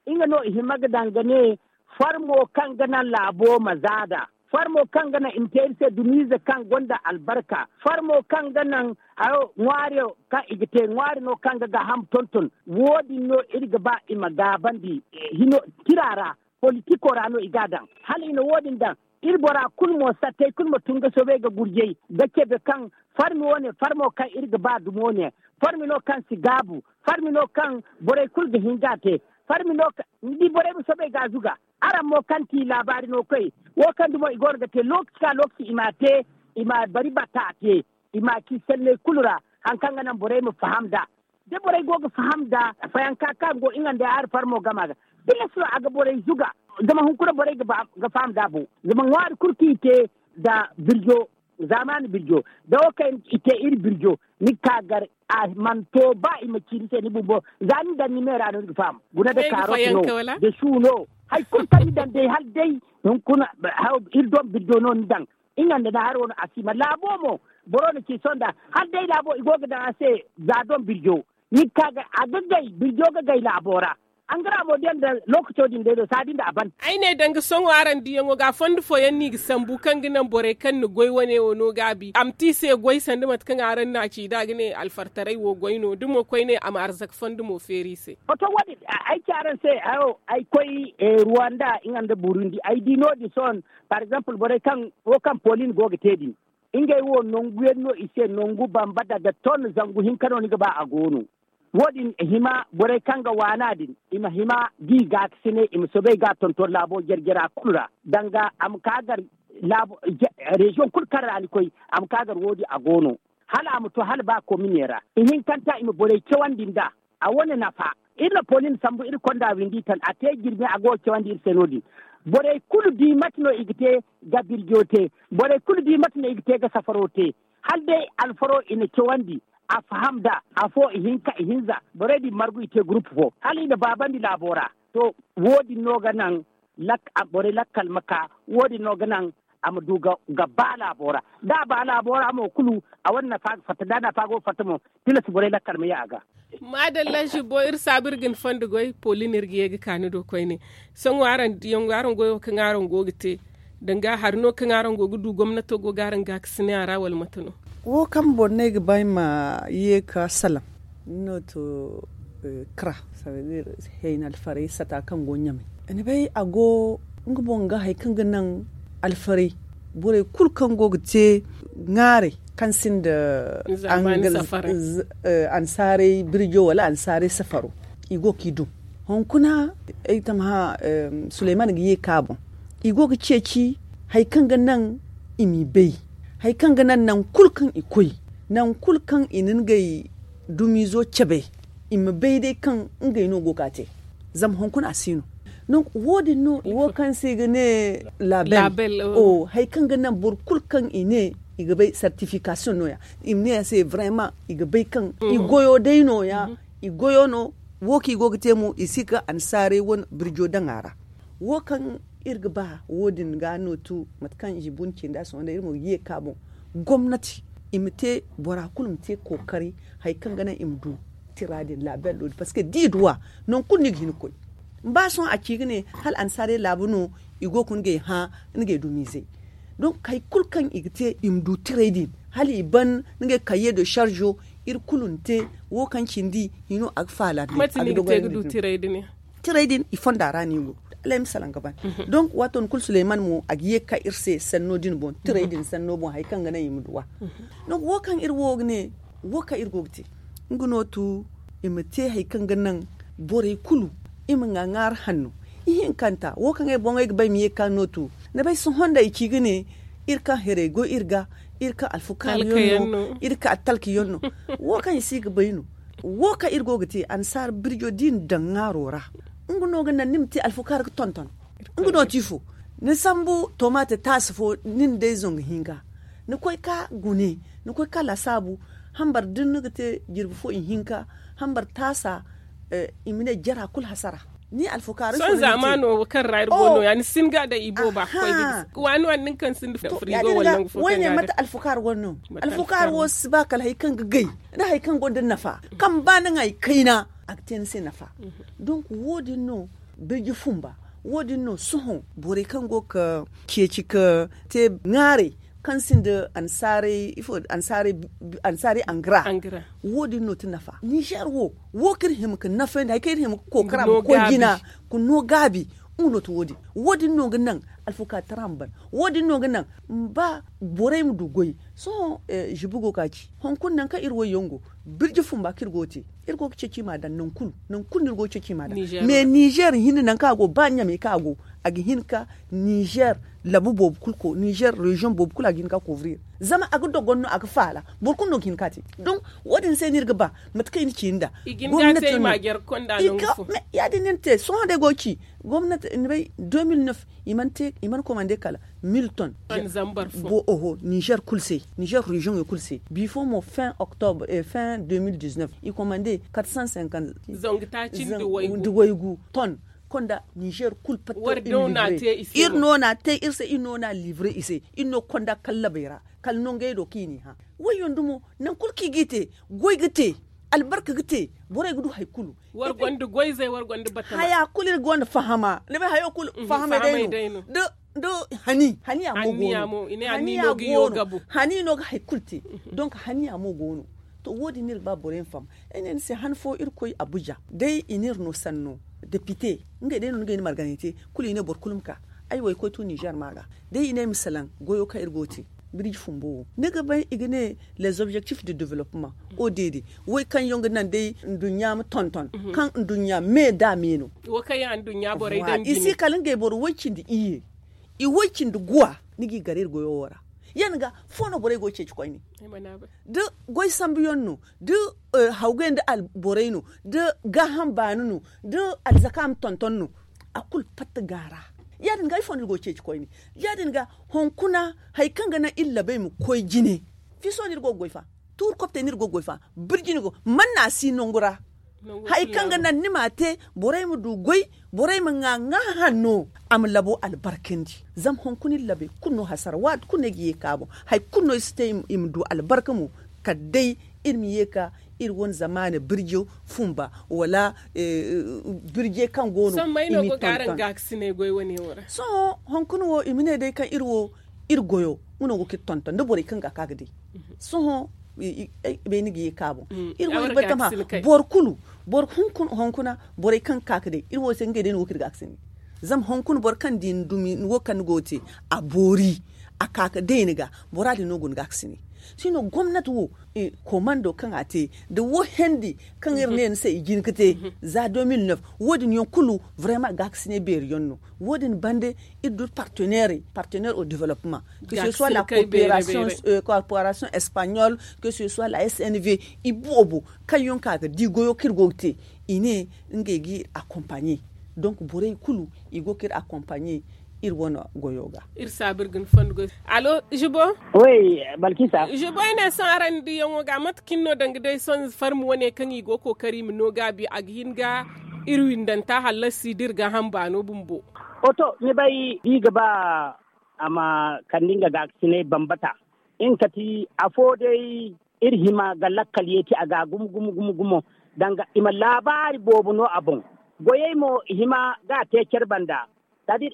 nga no i hima ga daŋ ga ne, farmo kaŋ ga naŋ laabo ma zaada, farmo kaŋ ga naŋ i ma te iri se dumiize kaŋ gonda albarka, farmo kaŋ ga naŋ hayo ŋwaari kaŋ i ga te ŋwaari no kaŋ ga gaaham tonton. Wo- din no iri ga ba i ma gaabandi, tira ra, politiko ra no i ga a daŋ. Hala i na wo- din daŋ, iri bora kulu mo sattey kulu ma tun ga soobay ga gurjay ga cabe kaŋ farmi wo- ne farmo kaŋ iri ga ba dumo ne, farmi no kaŋ si gaabu, farmi no kaŋ borey kulu ga hin ga a te, farmi no kaŋ ni di borey ma soobay ga a zuga. Araŋ mo kaŋ ti laabaari no koy, wo kaŋ dumo i go no ga te lookaci ka lookaci i m'a te, i ma bari batta a te, i m'a ci sanney kulu ra, hari kaŋ ga naŋ borey ma faham nd'a. Da borey go ga faham nda fayanka kaŋ go nga nda hari farmo gama ga, tilas no a ga borey zuga. Zama hunkuna borey ga faham nda a boŋ, zama ŋwaari kulu kaŋ i te nda birjo, zaamaani birjo, da wo kaŋ i te iri birjo, ni ga ka gar a mana to ba i ma ci ni se ni bumbo. Za ni daŋ ni me ra no ni ga faham guna da kaarot no, da su no, hari kulu kaŋ ni daŋ day hala day hunkuna iri doŋ birjo no ni daŋ. Nga nda na hari wano a si ma laabo mo, boro na ci sonda hala day laabo i go ga daŋ a se. Za doŋ birjo ni ga ka ga a ga gay birjo ga gay laabo ra. Angara mo day nda lookaco din day no saadi nda a ban. Ay ne danga sohõ araŋ diyaŋo ga fondo fooyaŋ no i ga sambu kaŋ ga naŋ borey kaŋ na goy wane wo no gaabi a ma te i se goy sanda mate kaŋ araŋ na a ci da a ga ne alfartaray wo goy no da mo koyne a ma arzaka fondo mo feeri i se. Oto wo- din ay ci araŋ se, ay koy ruwanda nga nda burundi ay di no- din sohõ. Par exemple borey kaŋ wo kaŋ polin go ga te din, ngey wo nangu yaŋ no i se nangu bamba daga ton zangu hinka no ni ga ba a go no. Wo- din hima borey kaŋ ga waana din i ma hima da i gaakasinay i ma soobay ga a tonton laabo jare-jara kulu ra, danga a ma ka gar reziyoŋ kulu kaŋ ra ni koy, a ma ka gar wo- din a go no. Hala a ma to hala ba komine ra ihinkanta i ma borey cawandi nd'a. A wane nafa iri na polin sambu iri konda windi tan a te jirbi a go ga cawandi iri se no- din. Borey kulu di mate no i ga te ga birjo te, borey kulu di mate no i ga te ga safaro te. Hala day alfaro i na cawandi a faham nd'a afo ihinka ihinza borey din margu i te gurupu fo hala i na baabandi laabo ra. To, wo- din no ga naŋ borey lakkal ma ka, wo- din no ga naŋ a ma du ga ba laabo ra. Da a ba laabo ra mo kulu, a wane nafa ga fatta da nafa go ga fatta mo, tilas borey lakkal ma ye a ga. Maadalla zibbo iri saabu iri ga ni fondo goy poli no iri ga ye ga ka ni do koyne. Sohõ araŋ diyaŋ araŋ goyo kaŋ araŋ go ga te, danga hari no kaŋ araŋ go ga du gomnato go ga araŋ gaakasinay a ra wala mate no? Wo kaŋ boro no ay ga ba ay ma ye ga salaŋ ni no to, kara, hayna alfaray sata kaŋ go ɲamay. Ni bay a go nga boŋ ga hari kaŋ ga naŋ alfaray, borey kulu kaŋ go ga te ŋwaaray kaŋ sinda, ansaarey birjo wala ansaarey safaro, i go ga i dum. Hunkuna ay tammaha suleyman ga ye ga ka boŋ, i go ga ceeci hari kaŋ ga naŋ i m'i bay, hari kaŋ ga naŋ nangu kulu kaŋ i koy, nangu kulu kaŋ i na ngey dumiizo cabe, i ma bay day kaŋ ngey no go ga a te. Zama hunkuna a si no. Wo- din no wo kaŋ se i ga ne label. Hari kaŋ ga naŋ boro kulu kaŋ i ne i ga bay sertifikasiyoŋ no- ya, i ma ne a se vrema i ga bay kaŋ i goyo day no- ya. I goyo no. Wo kaŋ i go ga te mo i si ga ansaarey wane birjo daŋ a ra. Wo kaŋ iri ga ba wo- din ga no tu mate kaŋ i bun cinda sohõ day iri mo ga ye ga ka boŋ, gomnati i ma te bora kulu ma te kookari hari kaŋ ga naŋ i ma du tira din label do din parceque da i du a, nangu kulu no i ga hin ga koy. Ba sohõ a ci ga ne hala ansaarey laabu no i go ga ngey hã, ngey dumiizey. Donk hari kulu kaŋ i ga te i ma du tirey din hala i ban ngey kaye de sarzo, iri kulu na te. Wo kaŋ cindi hino a ga faala day. Mate no i ga te ga du tirey din? Tiray din i fonda ra no i go. Alay ma salaŋ ga ban. Donk waato ni kulu suleyman mo a ga ye ga ka iri se sanno din boŋ tiray din sanno boŋ hari kaŋ ga naŋ i ma duw'a. Donk wo kaŋ iri wo ga ne, wo kaŋ iri go ga te, nga no tu i ma te hari kaŋ ga naŋ borey kulu i ma ŋwa ŋwaari hanno. Ihinkanta wo kaŋ ay boŋey ga ba ay ma ye ga ka no tu, ni bay sohõ nda ay ci ga ne iri kaŋ haray goy iri ga, iri kaŋ alfukaari yaŋ no, iri kaŋ talka yaŋ no. Wo kaŋ i si ga bay no. Wo kaŋ iri go ga te annasaara birjo da i na daŋ ŋwaaro ra, nga no ga naŋ ni ma te alfukaari ga tonton. Nga no ti ifo? Ni sambu tomate taasi fo, ni na day zangu hinka, ni koy ka gune, ni koy ka lasaabu, hambar da ni ga te jirbi fo ihinka, hambar taasa, i ma ne jara kulu hasara. Ni alfukaari sohõ zamano wo kaŋ ra iri go no ya ni si hin ga day ibooba ga koy ga gisi waani waani nin kaŋ sinda frigo wala nangu fo kaŋ ga day. Alfukaari wane no. Alfukaari wo si ba kala hari kaŋ ga gay, da hari kaŋ gonda nafa, kaŋ ba ni ŋwa i kayna, a ga te ni se nafa. Donk wo- din no birji fumba, wo- din no sohõ borey kaŋ go ga ceeci ga te ŋwaaray kaŋ sinda annasaarey ifo annasaarey angra. Wo- din no ti nafa ninzeer wo, wo kaŋ iri hima ga nafayandi hari kaŋ iri hima ga kookara ma koy jina, ga no gaabi. Nga no ti wo- din. Wo- din no ga naŋ alfukaari tara ma ban. Wo- din no ga naŋ ma ba borey ma du goy. Sohõ zibi go ga ci hunkuna nangu kaŋ iri wayyaŋ go, birji fumba kaŋ iri go ga te, iri go ga ceeci i m'a daŋ nangu kulu. Nangu kulu no iri go ga ceeci i m'a daŋ. Mais ninzeer hinne nangu kaŋ a go ba ɲamey kaŋ a go, a ga hin ga ninzeer labu boobo kulu ko ninzeer reziyoŋ boobo kulu a ga hin ga koobri iri. Zama a ga dogon no a ga faala. Boro kulu no ga hin ga a te. Donk wo- din se no iri ga ba mate kaŋ i na ci nd'a. Gomnati no. Ya- din no ni te sohõ day go ga ci gomnati ni bay deux mille neuf, i mana komande kala mille tonnes. Oho ninzeer kulu se, ninzeer reziyoŋey kulu se bifo mo fin octobre fin deux mille dix neuf, i komande quatre cent cinquante. Zangu taaci nda waygu tonnes. Konda ninzeer kulu patta. Iri no na te iri se iri no na livre i se. Iri no konda kallabey ra kala nongey do kaŋ i n'i hã. Wayyaŋ dumo nangu kulu kaŋ i g'i te, goy ga te, albarka ga te, borey ga du hari kulu. Haya kulu iri gonda fahama ni bay hayo kulu fahamay day no. Da hani haniya mo go no. Hani no ga hari kulu te. Donk haniya mo go no. To wo- din no iri ga ba borey ma faham. Ay ne ni se han fo iri koy abuja day i n'iri no sanno depite, ngey day no ni ga ay ni marganay te. Kulu i ne boro kulu ma ka ay wo ay koy tu ninzeer ma ga. Day i ne ay ma salaŋ goyo kaŋ iri go ga te birji fumbo wo ni ga bay i ga ne les objectifs de developpement. O deede, way kaŋ yaŋ ga naŋ day nduɲɲa ma tonton kaŋ nduɲɲa me da me no. I si kala ngey boro way cindi iyye, i way cindi guwa. Ni g'i gar iri goyo wo ra. Ya- din ga fo no borey go ga ceeci koyne? Da goy sambu yaŋ no, da hawgay nda alborey no, da gaaham baani no, da alzaka ma tonton no, a kulu fatta ga a ra. Ya- din ga ifo no iri go ga ceeci koyne? Ya- din ga hunkuna hari kaŋ ga naŋ iri labey ma koy jine? Fiso no iri go ga goy fa? Tuuri koptey no iri go ga goy fa? Birji no go man no a si nangu ra. Hari kaŋ ga naŋ ni m'a te, borey ma du goy, borey ma ŋwa ŋwa hanno, a ma labo albarkandi. Zama hunkuna iri labey kulu no hasara waati kulu no ay ga ye ga ka boŋ. Hari kulu no ay si te i ma du albarka mo. Kala day iri ma ye ga ka iri wane zamaana birjo fumba wala birjey kaŋ go no i m'i tonton. Sohõ hunkuna wo i ma ne day kaŋ iri wo iri goyo nga no go ga iri tonton da borey kaŋ ga ka ga day. Sohõ bay ni ga ye ga ka boŋ. Iri wo iri bay tama boro kulu, boro hunkuna borey kaŋ ga ka ga day iri wo se ngey day no go ga iri ga ga sini. Zama hunkuna boro kaŋ di ni dumi ni wo kaŋ ni go ga te, a boori, a ka ga day ni ga, bora din no go ni ga ga sini. Sino gomnati wo, komando kaŋ a te da wo hendi kaŋ iri ne ni se i jin ga te za deux mille neuf, wo- din yaŋ kulu vraiment ga ga sini beeri yaŋ no. Wo- din bande iri du partenaire partenaire au developpement, que ce soit la coopération espagnole, que ce soit la snv, i boobo kaŋ yaŋ ka ga di goyo kaŋ iri go ga te, i ne ngey ga iri accompagner. Donc borey kulu i go ga iri accompagner iri wane goyo ga. Iri saabu iri ga ni fondo goy. Alo, zibo. Zibo ay ne sohõ araŋ diyaŋo ga mate kaŋ iri no danga day sohõ farmi wane kaŋ i go ga kookari i ma no gaabi a ga hin ga iri windanta hallasi da iri gaaham baano bumbo. Oto ni bay da i ga ba a ma kande nga gaakasinay bambata. Nga kati afo day iri hima ga lakkal yeeti a ga gumo gumo gumo gumo. Danga i ma laabaari boobo no a boŋ. Goyey mo i hima ga a te care banda. Sadi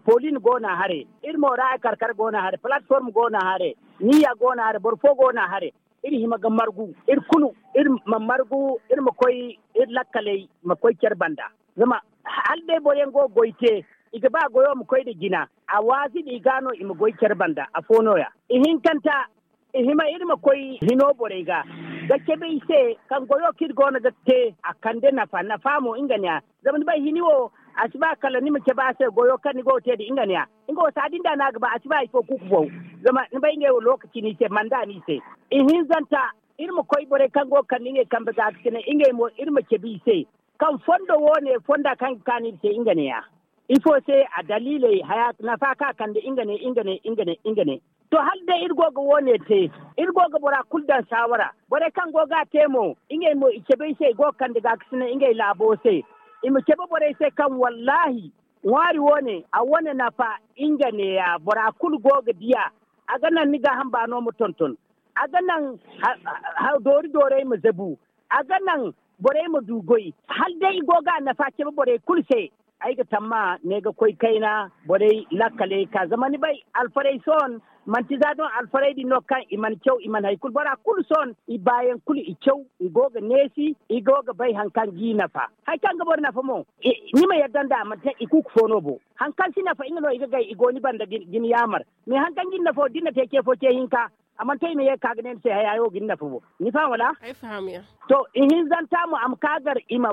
polin go no a hare, iri mo ra ay karkar go no a hare, palatform go no a hare, niya go no a hare, boro fo go no a hare. Iri hima ga margu iri kulu, iri ma margu, iri ma koy iri lakkaley ma koy care banda. Zama Hala day boro yaŋ go ga goy te, i ga ba goyo ma koy nda jina. A waazi nda i ga no i ma goy care banda afo no- ya. Ihinkanta, i hima iri ma koy hino borey ga, ga cabe i se, kaŋ goyo kaŋ iri go no ga te a kande nafa nafa mo nga ne- ya. Zama ni bay hini wo, a si ba kala ni ma cabe a se goyo kaŋ ni go ga te nda nga ne- ya. Nga wo saadi nda no a ga ba, a si ba hari fo kuuku fo. Zama ni bay ngey wo lookaci no i se manda no i se. Ihinzanta, iri ma koy borey kaŋ go ga kande ngey kambe ga ga sine ngey mo iri ma cabe i se, kaŋ fondo wo- ne fonda kaŋ ga kaanu iri se nga ne- ya. Ifo se? A daliiley haya nafa kaŋ a kande nga ne nga ne nga ne nga ne. To hala day iri go ga wo- ne te, iri go ga bora kulu daŋ saawara. Borey kaŋ go ga a te mo, ngey mo i cabe i se i go ga kande ga ga sine ngey laabo se. I ma cabe borey se kaŋ wallaahi ŋwaari wo- ne a wane nafa. Nga ne- ya bora kulu go ga di a. A ga naŋ ni gaaham baano ma tonton. A ga naŋ doori doorey ma zabu. A ga naŋ borey ma du goy. Hala day i go ga a nafa cabe borey kulu se. Ay ga tamma ne ga koy kayna borey lakkaley ka zama ni bay alfarey sohõ, manti za doŋ alfarey din no kaŋ i mana caw i mana hari kulu bora kulu sohõ, i baayaŋ kulu i caw, i go ga neesi, i go ga bay hari kaŋ g'i nafa. Hari kaŋ ga boro nafa mo, ni ma yadda nd'a manti i kuuku fo no bo. Hari kaŋ si nafa nga no i ga gay i go ni banda ga ni yaamar. Me hari kaŋ ga ni nafa wo da ni na te ce fo ce hinka, a mana to i ma ye ga ka ga ne ni se haya wo ga ni nafa bo. Ni faham wala? To, ihinzanta mo a ma ka gar i ma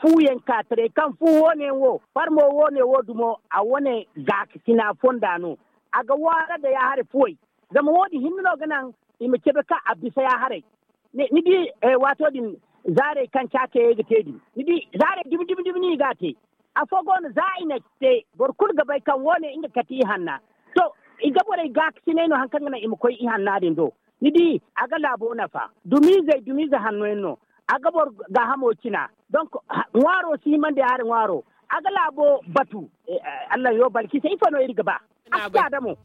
fuuyaŋ ka taray kaŋ fu wo- ne wo farmo wo- ne wo dumo a wane gaakasina fonda no. A ga waara nda ya haray fuwey. Zama wo- din hinne no ga naŋ i ma cabe kaŋ a bisa ya haray. Ni di, waato din, zaarey kaŋ caakayey ga te din, ni di zaarey dumi dumi dumi no i ga a te. Afo go no za i na te boro kulu ga bay kaŋ wo- ne nga kate ihanna. To, i ga borey gaakasinay no hari kaŋ ga naŋ i ma koy ihanna din do. Ni di, a ga laabo nafa. Dumiizey dumiize hanno yaŋ no. A ga boro gaahamo cina. Donk, ŋwaaro si himandi a hari ŋwaaro. A ga laabo batu. Allah yo balkisa ifo no iri ga ba?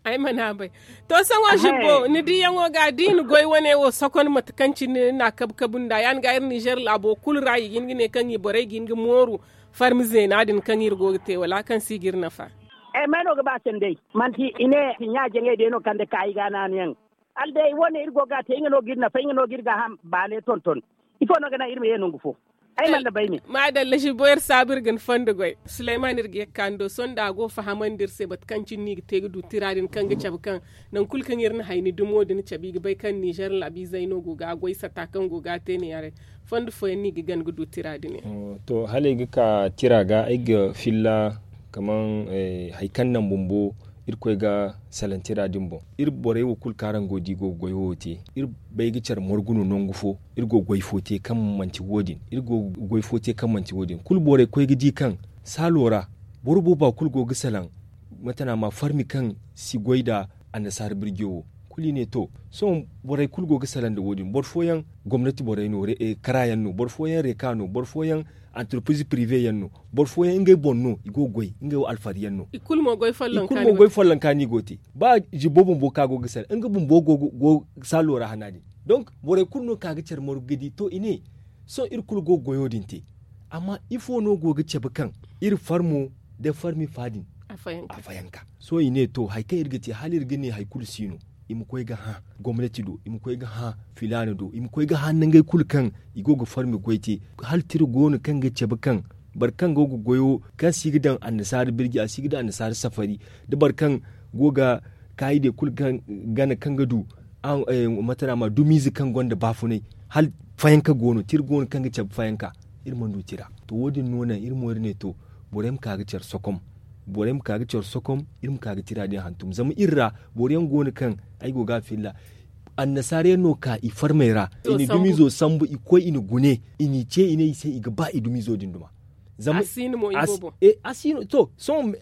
Ay mana bay. To, sohõ zibbo ni diyaŋo ga da i na goy wane wo sokon mate kaŋ cine ni na kabu kabu nd'a ya- din ga iri nizer laabo kulu ra i ga hin ga ne kaŋ i borey ga hin ga mooru farmi zeena din kaŋ iri go ga te wala kaŋ si ga iri nafa? Ay may no ga ba sanday? Manti i ne ɲa jaŋey day no kande ka i ga naanu yaŋ. Hala day wane iri go ga a te nga no ga iri nafa nga no ga iri gaaham baale tonton. Ifo no ga naŋ iri ma ye nangu fo? Ay mana bay ne. Maadalla zibbo iri saabu iri ga ni fondo goy suleyman iri ga ye ga ka ni do sohõ da a go fahamandi iri se mate kaŋ cine no i ga te ga du tira din kaŋ ga cabe kaŋ nangu kulu kaŋ iri na hayni dumo din cabe i ga bay kaŋ nizer laabiizey no go ga a goy sata kaŋ go ga a te ne haray. Fondo fooyaŋ no i ga gana ga du tira din yaŋ. To hala ay ga ka tira ga ay ga filla kaman hari kaŋ naŋ bumbo irkoy ga salaŋ tira din boŋ. Iri borey wo kulu kaŋ araŋ go ga di go ga goy wo te, iri bay ga care margu no nangu fo. Iri go ga goy fo te kaŋ manti wo- din iri go ga goy fo te kaŋ manti wo- din kulu borey koy ga di kaŋ saalo ra boro booba kulu go ga salaŋ. Mate no a ma farmi kaŋ si goy nda annasaara birjo wo. Kulu i ne to, sohõ borey kulu go ga salaŋ nda wo- din boro fooyaŋ gomnati borey no, kara yaŋ no boro fooyaŋ reeka no boro fooyaŋ antarpiriz pirive yaŋ no. Boro fooyaŋ ngey boŋ no i go ga goy ngey wo alfari yaŋ no. I kulu mo goy follonka no i go ga te. Ba zibbo bumbo kaŋ a go ga salaŋ nga bumbo go ga saalo ra hana din. Donk borey kulu no ka ga care margu ga di to i ne, sohõ iri kulu go ga goyo din te. Amma ifo no go ga cabe kaŋ iri farmo nda farmi fa din a fayanka? Sohõ i ne to hari kaŋ iri ga te hala iri ga ne hari kulu si no, i ma koy ga hã gomnati do, i ma koy ga hã filaana do, i ma koy ga hã nangey kulu kaŋ i go ga farmi goy te. Hala tira go no kaŋ ga cabe kaŋ boro kaŋ go ga goyo kaŋ si ga daŋ annasaara birji a si ga daŋ annasaara safari, da boro kaŋ go ga kaayidey kulu gana kaŋ ga du mate no a ma dumiize kaŋ gonda baafunay. Hala fayanka go no tira go no kaŋ ga cabe fayanka. Iri mana du tira. To wo- din no naŋ iri mo iri ne to, borey ma ka ga care sokom. Borey ma ka ga care sokom. Iri ma ka ga tira din hantum zama iri ra boro yaŋ go no kaŋ ay go ga a filla annasaara yaŋ no ka i farmey ra. I na dumiizo sambu i koy i na gune i n'i ce i ne i se i ga ba i dumiizo din duma. Zama a si no to sohõ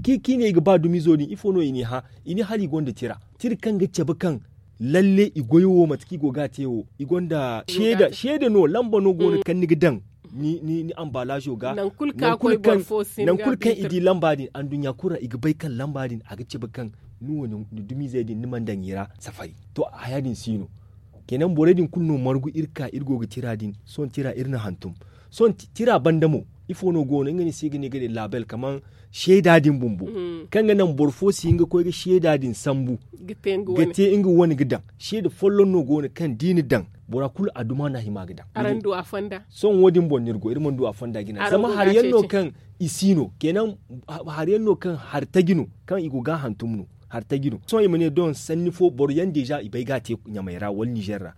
kaŋ i ne i ga ba dumiizo din ifo no i n'i hã? I ne hala i gonda tira, tira kaŋ ga cabe kaŋ lalle i goyo wo mate kaŋ i go ga a te wo i gonda seeda no lamba no go no kaŋ ni ga daŋ ni ambalazo ga. Nangu kulu kaŋ i di lamba din anduɲɲa kulu ra i ga bay kaŋ lamba din a ga cabe kaŋ ni wo ni dumiizey din ni mana daŋ i ra safari. To haya din si no. Kenan borey din kulu no margu iri ka iri go ga tira din sohõ tira iri na hantum. Sohõ tira banda mo Ifo no go no nga ni se ga ne ga ne label kaman seeda din bumbo, kaŋ ga naŋ boro fo si hin ga koy ga seeda din sambu ga te nga wane ga daŋ. Seeda folloŋ no go no kaŋ da i na daŋ, bora kulu a duma no a hima ga daŋ. Sohõ wo- din boŋ no iri go iri mana du a fonda jina zama hari yaŋ no kaŋ i si no kenan. Hari yaŋ no kaŋ hari taji no kaŋ i go ga a hantum no. Hari taji no sohõ i ma ne doŋ sanni fo boro yaŋ deeza i bay ga a te ɲamey ra wala nizer ra.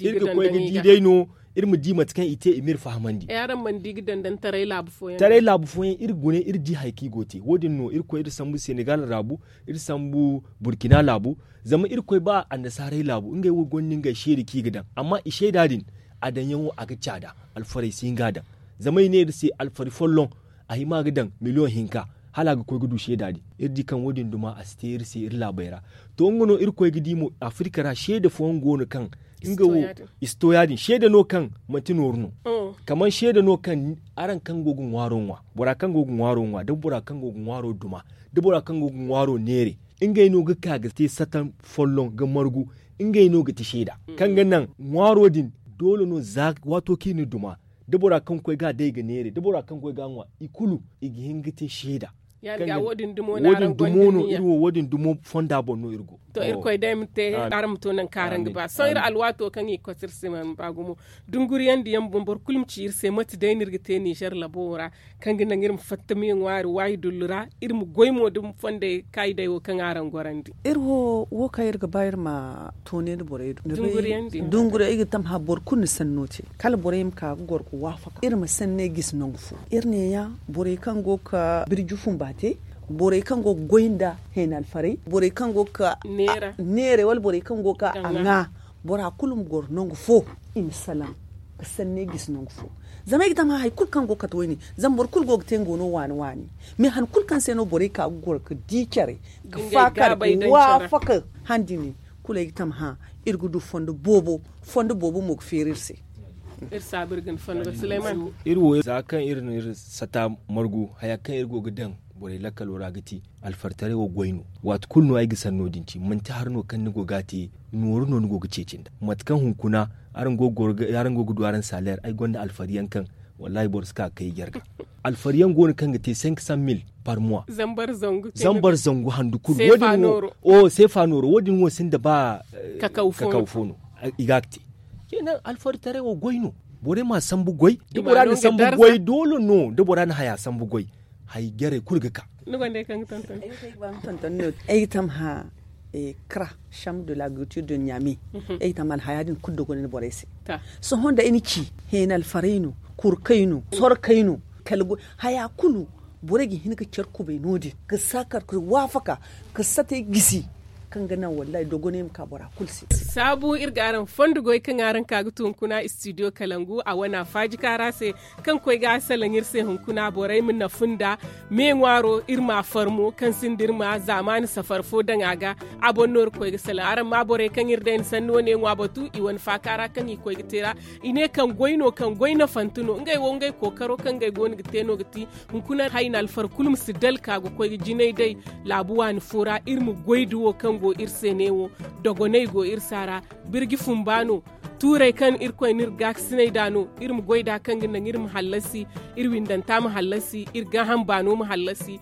Iri ga koy ga di day no iri ma di mate kaŋ i te i ma iri fahamandi. Araŋ mana di ga dandantaray laabu fooyaŋ taray laabu fooyaŋ iri gune iri di hari kaŋ i go ga te wo- din no iri koy iri sambu senegal laabu, iri sambu burkina laabu. Zama iri koy ba annasaarey laabu ngey wo gonda ngey seeda kaŋ i ga daŋ amma i seeda din a daŋyaŋo a ga caada. Alfarey si hin ga a daŋ zama i ne iri se alfari folloŋ a hima ga daŋ miliyoŋ hinka hala a ga koy ga du seeda din. Iri di kaŋ wo- din duma a si te iri se iri laabey ra. To nga no iri koy ga di mo afirika ra seeda fooyaŋ go no kaŋ nga wo i si to ya- din seeda no kaŋ manti nooru no. Kaman seeda no kaŋ araŋ kaŋ go ga ŋwaaro ŋwa bora kaŋ go ga ŋwaaro ŋwa da bora kaŋ go ga ŋwaaro duma da bora kaŋ go ga ŋwaaro neere, ngey no ga ka ga te satan folloŋ ga margu. Ngey no ga ti seeda kaŋ ga naŋ ŋwaaro din doole no za waato kaŋ i na duma da bora kaŋ ga koy ga a day ga neere da bora kaŋ ga koy ga a ŋwa i kulu i ga hin ga te seeda. Wo- din dumo no iri wo wo- din dumo fonda boŋ no iri go. To irkoy day ma te araŋ ma to nangu kaŋ araŋ ga ba sohõ iri alwaato kaŋ i ga koy se iri se mana ba gumo. Dunguriyaŋ diyaŋ boŋ boro kulu ma ci iri se mate day no iri ga te nizer labo ra kaŋ ga naŋ iri ma fatta me ŋwaari waayi dullu ra iri ma goy mo da fondey kaayidey wo kaŋ araŋ gorandi. Iri wo wo kaŋ iri ga ba iri ma toone nda borey do dunguriyaŋ di dunguriyaŋ i ga tamha boro kulu na sanno te kala borey ma ka ga goro ga waafaka iri ma sanney gisi nangu fo. Iri neeya borey kaŋ go ga birji fumba te borey kaŋ go ga goy nda heena alfarey borey kaŋ go ga neera wala borey kaŋ go ga a ŋwa. Bora kulu ma goro nangu fo i ma salaŋ ga sanney gisi nangu fo. Zama ay ga tama hari kulu kaŋ go ga kate wayne zama boro kulu go ga te nga wano waani waani. Mais han kulu kaŋ se no borey ka ga goro ga di care ga faakar ga waafaka handi ne kulu ay ga tama hã iri ga du fondo boobo. Fondo boobo mo ga feeri iri se. Iri wo za kaŋ iri na iri sata margu haya kaŋ iri go ga daŋ borey lakkalo ra ga ti alfartaray wo goy no. Waati kulu no ay ga sanno din ci manti hari no kaŋ ni go ga a te nooru no ni go ga ceeci nda mate kaŋ hunkuna araŋ go ga du araŋ saleer ay gonda alfariyaŋ kaŋ wallahi boro si ka ga kay jarga. Alfariyaŋ go no kaŋ ga te cinq cent mille par mois. Zambar zangu handu kulu wo- din wo seefa nooro wo- din wo sinda ba kakaw fo no i ga a ga te. Kenan alfaritaray wo goy no. Borey ma a sambu goy da bora na sambu goy doole no da bora na haya sambu goy. Hay jarey kulu ga ka. Ni gonda ay kaŋ ga tonton. Ay ga tam hã kra chambre de l'agriculture de niamey. Ay ga tam alhaya din kulu dogonay borey se. Sohõ nda ay na ci heena alfarey no, kurkey no, sorkey no, kala goy haya kulu. Borey ga hin ga care kubay no- din ga saakar ga waafaka ga satey gisi. Kaŋ ga naŋ wallahi dogonay ma ka bora kulu se. Saabu iri ga araŋ fondo goy kaŋ araŋ ka ga tu hunkuna studio kalangu a wana faaji kaara se. Kaŋ koy ga a salaŋ iri se hunkuna borey ma nafu nda me ŋwaaro iri ma a farmo kaŋ sinda iri ma zaamaani safar fo daŋ a ga. A boŋ no iri koy ga salaŋ araŋ ma borey kaŋ iri day ni sanni wane ŋwa batu i wane faaka ra kaŋ i koy ga te ra. I ne kaŋ goy no kaŋ goy nafante no ngey wo ngey kookaro kaŋ ngey go no ga te no ga ti. Hunkuna hayna alfar kulu ma si dalka ga koy ga jinay day laabu waani fo ra iri ma goy da wo kaŋ go iri se ne wo. Dogonay go iri se a ra. Birji fumba no. Tuurey kaŋ irkoy no iri gaakasinay nd'a no. Iri ma goy nd'a kaŋ ga naŋ iri ma hallasi. Iri windanta ma hallasi iri gaaham baano ma hallasi.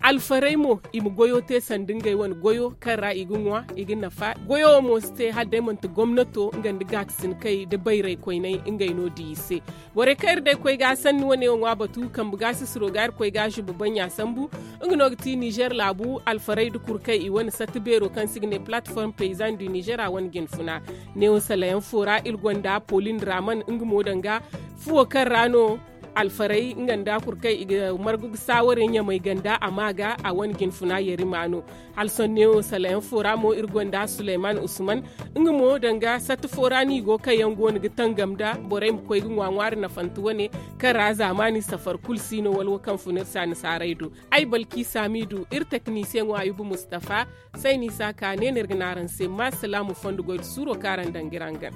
Alfarey mo i ma goyo te sanda ngey wane goyo kaŋ ra i ga ŋwa i ga nafa goyo wo mo si te hala day manti gomnato nga nda gaakasinkey nda bayray koyney ngey no di i se. Borey kaŋ iri day koy ga sanni wane wo ŋwa batu kambe ga sisiro ga iri koy ga zuba baŋ ya sambu. Nga no ga ti nizer laabu alfarey nda kurkey i wane satta beero kaŋ se i ga ne platform paysan du nizer a wane jinfuna. Neewo salayaŋ fo ra iri gonda polin raman nga mo danga fuwo kaŋ ra no alfarey nga nda kurkey i ga margu ga saaware ɲamay ganda a ma ga a wane jinfuna yarima no. Hala sohõ neewo salayaŋ fo ra mo iri gonda suleyman usman. Nga mo danga satta fo ra no i go kaŋ yaŋ go no ga tangam nda borey ma koy ga ŋwa ŋwaari nafante wane kaŋ ra zaamaani safar kulu si no wala wo kaŋ fun iri se annasaarey do. Ay balki saamidu iri teknisiyeŋo ayuba mustafa. Sayni saaka ne no iri ga ne araŋ se ma salaamu fondo goy nda suuro kaŋ araŋ daŋ ga iri hangan.